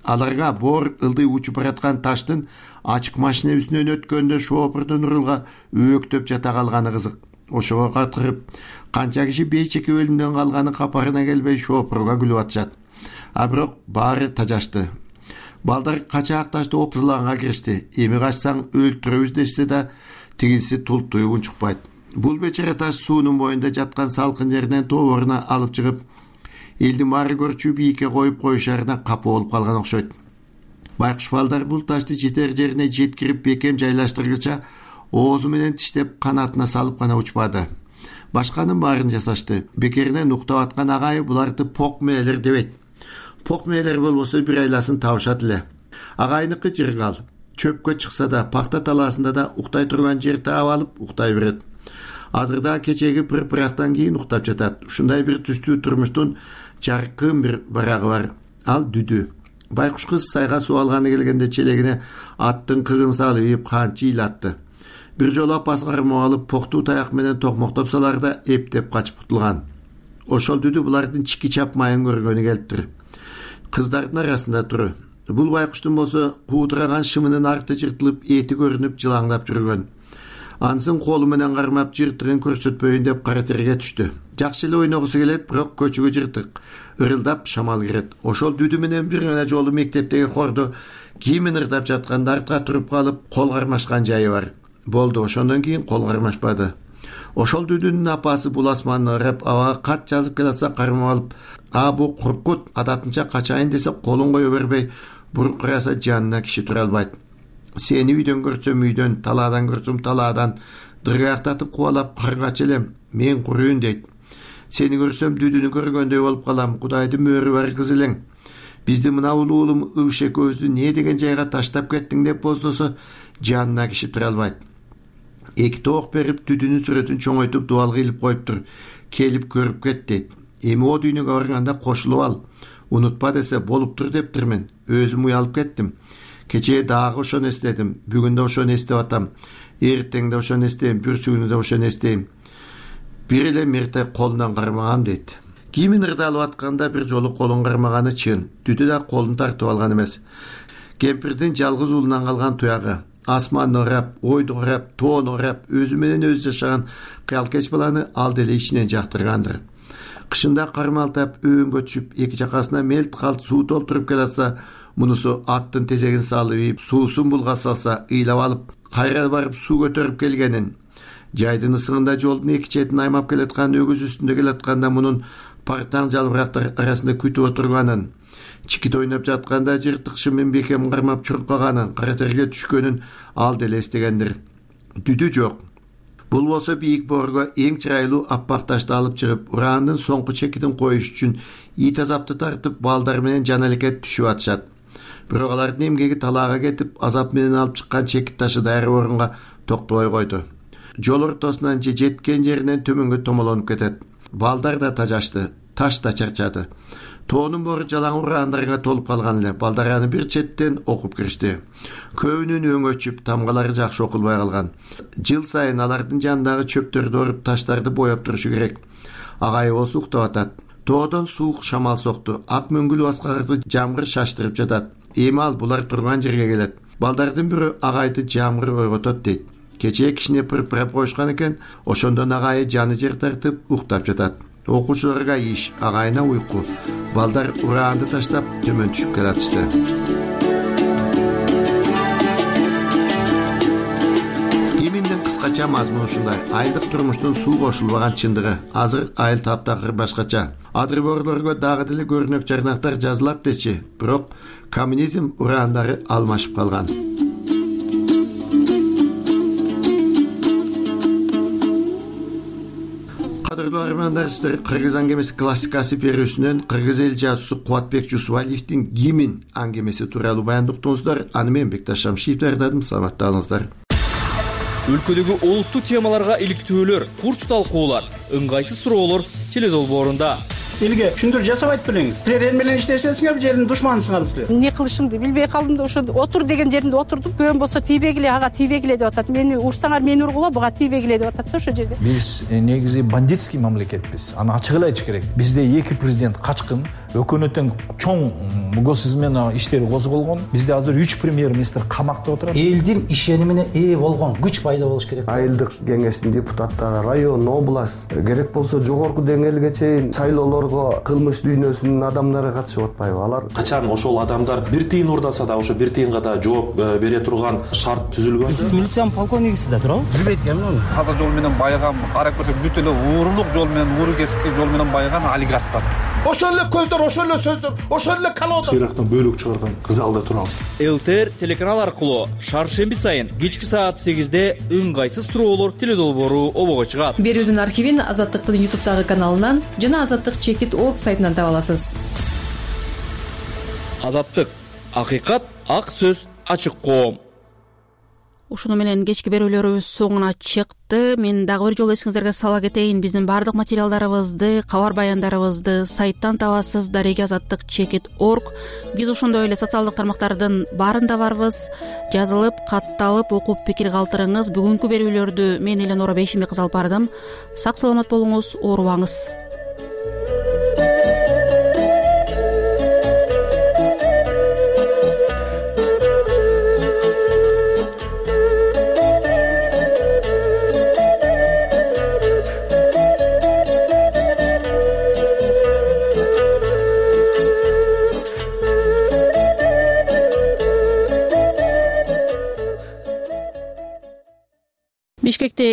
Аларга боор ылдый учуп бараткан таштын ачык машина үстүнөн өткөндө шоопурдун урулгаөөктөп жата калганы кызык. Ошого катырып, канча киши бейчеке өлүмдөн калганы капарына келбей шоопурга күлүп атышат. А бирок баары тажашты. Балдар качаак ташты опузулганга киришти. Эми качсаң өлтүрөбүз дешсе да, тигинси тултуй унчукпайт. Бул бечара таш суунун боюнда жаткан салкын жерден тоборуна алып чыгып, элдин баары көрчү бийикке коюп коюшарына капа болуп калган окшойт. Байкуш балдар бул ташты жетер жерине жеткирип бекем жайлаштыргыча оозу менен тиштеп канатына салып гана учпады. Башканын баарын жасашты. Бекеринен уктап аткан агайы буларды пок мээлер дебейт. Пок мээлер болбосо бир айласын табышат эле. Агайныкы жыргал. Чөпкө чыкса да, пакта талаасында да уктай турган жер таап алып уктай берет. Азырда кечеги пыр-пырактан кийин уктап жатат. Ушундай бир түстүү турмуштун жаркын бир барагы бар. Ал дүдү. Байкуш кыз сайга суу алганы келгенде челегине аттын кыгын салып канчы ыйлатты. Бир жолу апасы кармап алып поктуу таяк менен токмоктоп саларда эптеп качып кутулган. Ошол дүдү булардын чики чапмайын көргөнү келиптир. Кыздардын арасында тур. Бул байкуштун болсо куудураган шымынын арты жыртылып, эти көрүнүп жылаңдап жүргөн. Ансын колу менен кармап жыртыгын көрсөтпөйүн деп кара терге түштү. Жакшы эле ойногусу келет, бирок көчүгү жыртык. Ырылдап шамал кирет. Ошол дүдү менен бир гана жолу мектептеги хордо кийимин ырдап жатканда артка туруп калып, кол кармашкан жайы бар. Болду, ошондон кийин кол кармашпады. Ошол дүдүнүн апасы бул асманны ырап, абага кат жазып келатса кармап алып, а бу куркут адатынча качайын десе колун кое бербей, буркураса жанына киши тура албайт. Сени үйдөн көрсөм үйдөн, талаадан көрсөм талаадан, дыргаяктатып кубалап каргач элем, мен курuyun дейт. Сени көрсөм дүдүнү көргөндөй болуп калам, Кудайдын мөөрү бар кыз элең. Бизди мына улуулум Ыбыш экөөбүздү не деген жайга таштап кеттиң деп боздосо, жанына киши тура албайт. Эки тоок берип дүдүнүн сүрөтүн чоңойтуп дубал кыйлып коюптур. Келип көрүп кет дейт. Эми о дүйнөгө барганда кошулуп ал. Унутпа десе болуптур дептирмин. Өзүм уялып кеттим. Кечээ дагы ошону эстедим. Бүгүн да ошону эстеп атам. Эртең да ошону эстейм, бүрсүгүнү да ошону эстейм. Бир эле мерте колунан кармагам дейт. Кийимин ырдалып атканда бир жолу колун кармаганы чын. Дүдү да колун тартып алган эмес. Кемпирдин жалгыз уулунан калган туягы. Асманды ырап, ойду ырап, тоону ырап, өзү менен өзү жашаган кыялкеч баланы ал деле ичинен жактыргандыр. Кышында кармалтап, өңгө түшүп, эки жакасына мелт калт суу толтуруп келатса, мунусу аттын тезегин салып, суусун булгап салса, ыйлап алып, кайра барып суу көтөрүп келгенин. Жайдын ысыгында жолдун эки четин аймап келаткан өгүз үстүндө келатканда мунун партаң жалбырактар арасында күтүп отурганын. Чикит ойноп жатканда жыртык шымын бекем кармап чуркаганын, кара терге түшкөнүн ал деле эстегендир. Дүдү жок. Бул болсо бийик боорго эң чырайлуу аппак ташты алып чыгып, ураандын соңку чекитин коюш үчүн ит азапты тартып, балдар менен жан алекет түшүп атышат. Бирок алардын эмгеги талаага кетип, азап менен алып чыккан чекит ташы дайыр орунга токтобой койду. Жол ортосунан же жеткен жеринен төмөнгө томолонуп кетет. Балдар да тажашты, таш да чарчады. Тоонун боору жалаң ураандарга толуп калган эле. Балдар аны бир четтен окуп киришти. Көбүнүн өңү өчүп, тамгалары жакшы окулбай калган. Жыл сайын алардын жанындагы чөптөрдү оруп, таштарды боеп турушу керек. Агай болсо уктап атат. Тоодон суук шамал сокту. Ак мөңгүл баскарды жамгыр шаштырып жатат. Эми ал булар турган жерге келет. Балдардын бирөө агайды жамгыр ойготот дейт. Кечээ кишине пыр-пырап коюшкан экен, ошондон агайы жаны жер тартып уктап жатат. Окуучуларга иш, агайына уйку. Балдар ураанды таштап төмөн түшүп келатышты. Гиминдин кыскача мазмуну ушундай. Айылдык турмуштун суу кошулбаган чындыгы. Азыр айыл таптакыр башкача. Адрыборлорго дагы деле көрүнөк жарнактар жазылат дечи, бирок коммунизм ураандары алмашып калган. Кадырлуу армандар, сиздер Кыргыз аңгемеси классикасы берүүсүнөн Кыргыз эл жазуусу Кубатбек Жусупалиевдин Гимин аңгемеси тууралуу баяндоо уктуңуздар. Аны мен Бекташ Шамшиев даярдадым. Саламатта болуңуздар. өлкөдөгү олуттуу темаларга иликтөөлөр, курч талкуулар, ыңгайсыз суроолор теледолбоорунда. Элге түшүндүрүү жасабайт белеңиз. Силер эл менен иштешесиңерби, жердин душманысыңарбы силер? Эмне кылышымды билбей калдым да ошо отур деген жеримде отурдум. Көөм болсо тийбегиле, ага тийбегиле деп атат. Мени урсаңар мени ургула, буга тийбегиле деп атат да ошо жерде. Биз негизи бандитский мамлекетпиз. Аны ачык эле айтыш керек. Бизде эки президент качкын, өкмөттүн чоң госизмена иштери козголгон. Бизде азыр үч премьер-министр камакта отурат. Элдин ишенимине ээ болгон күч пайда болуш керек. Айылдык кеңештин депутаттары, район, область, керек болсо жогорку деңгээлге чейин шайлоолорго кылмыш дүйнөсүнүн адамдары катышып атпайбы? Алар качан ошол адамдар бир тыйын урдаса да ошо бир тыйынга да жооп бере турган шарт түзүлгөн. Сиз милициянын полковнигисиз да туурабы? Билбейт экенмин. Таза жол менен байыган, карап көрсөк бүт эле уурулук жол менен, ууру кесипки жол менен байыган олигархтар. Ошол эле көздөр, ошол эле сөздөр, ошол эле калоодор. Ирактан бөлүк чыгарган залда турабыз. ЛТР телеканал аркылуу шаршемби сайын кечки саат сегизде ыңгайсыз суроолор теледолбоору обого чыгат. Берүүнүн архивин Азаттыктын ютубтагы каналынан жана азаттык чекит орг сайтынан таба аласыз. Азаттык, акыйкат, ак сөз, ачык коом. Ушуну менен кечки берүүлөрүбүз соңуна чыкты. Мен дагы бир жолу эсиңиздерге сала кетейин. Биздин баардык материалдарыбызды, кабар баяндарыбызды сайттан табасыз. Дареги азаттык чекит орг. Биз ошондой эле социалдык тармактардын баарында барбыз. Жазылып, катталып, окуп пикир калтырыңыз. Бүгүнкү берүүлөрдү мен Эленора Бейшимбек кызы алып бардым. Сак саламат болуңуз, оорубаңыз.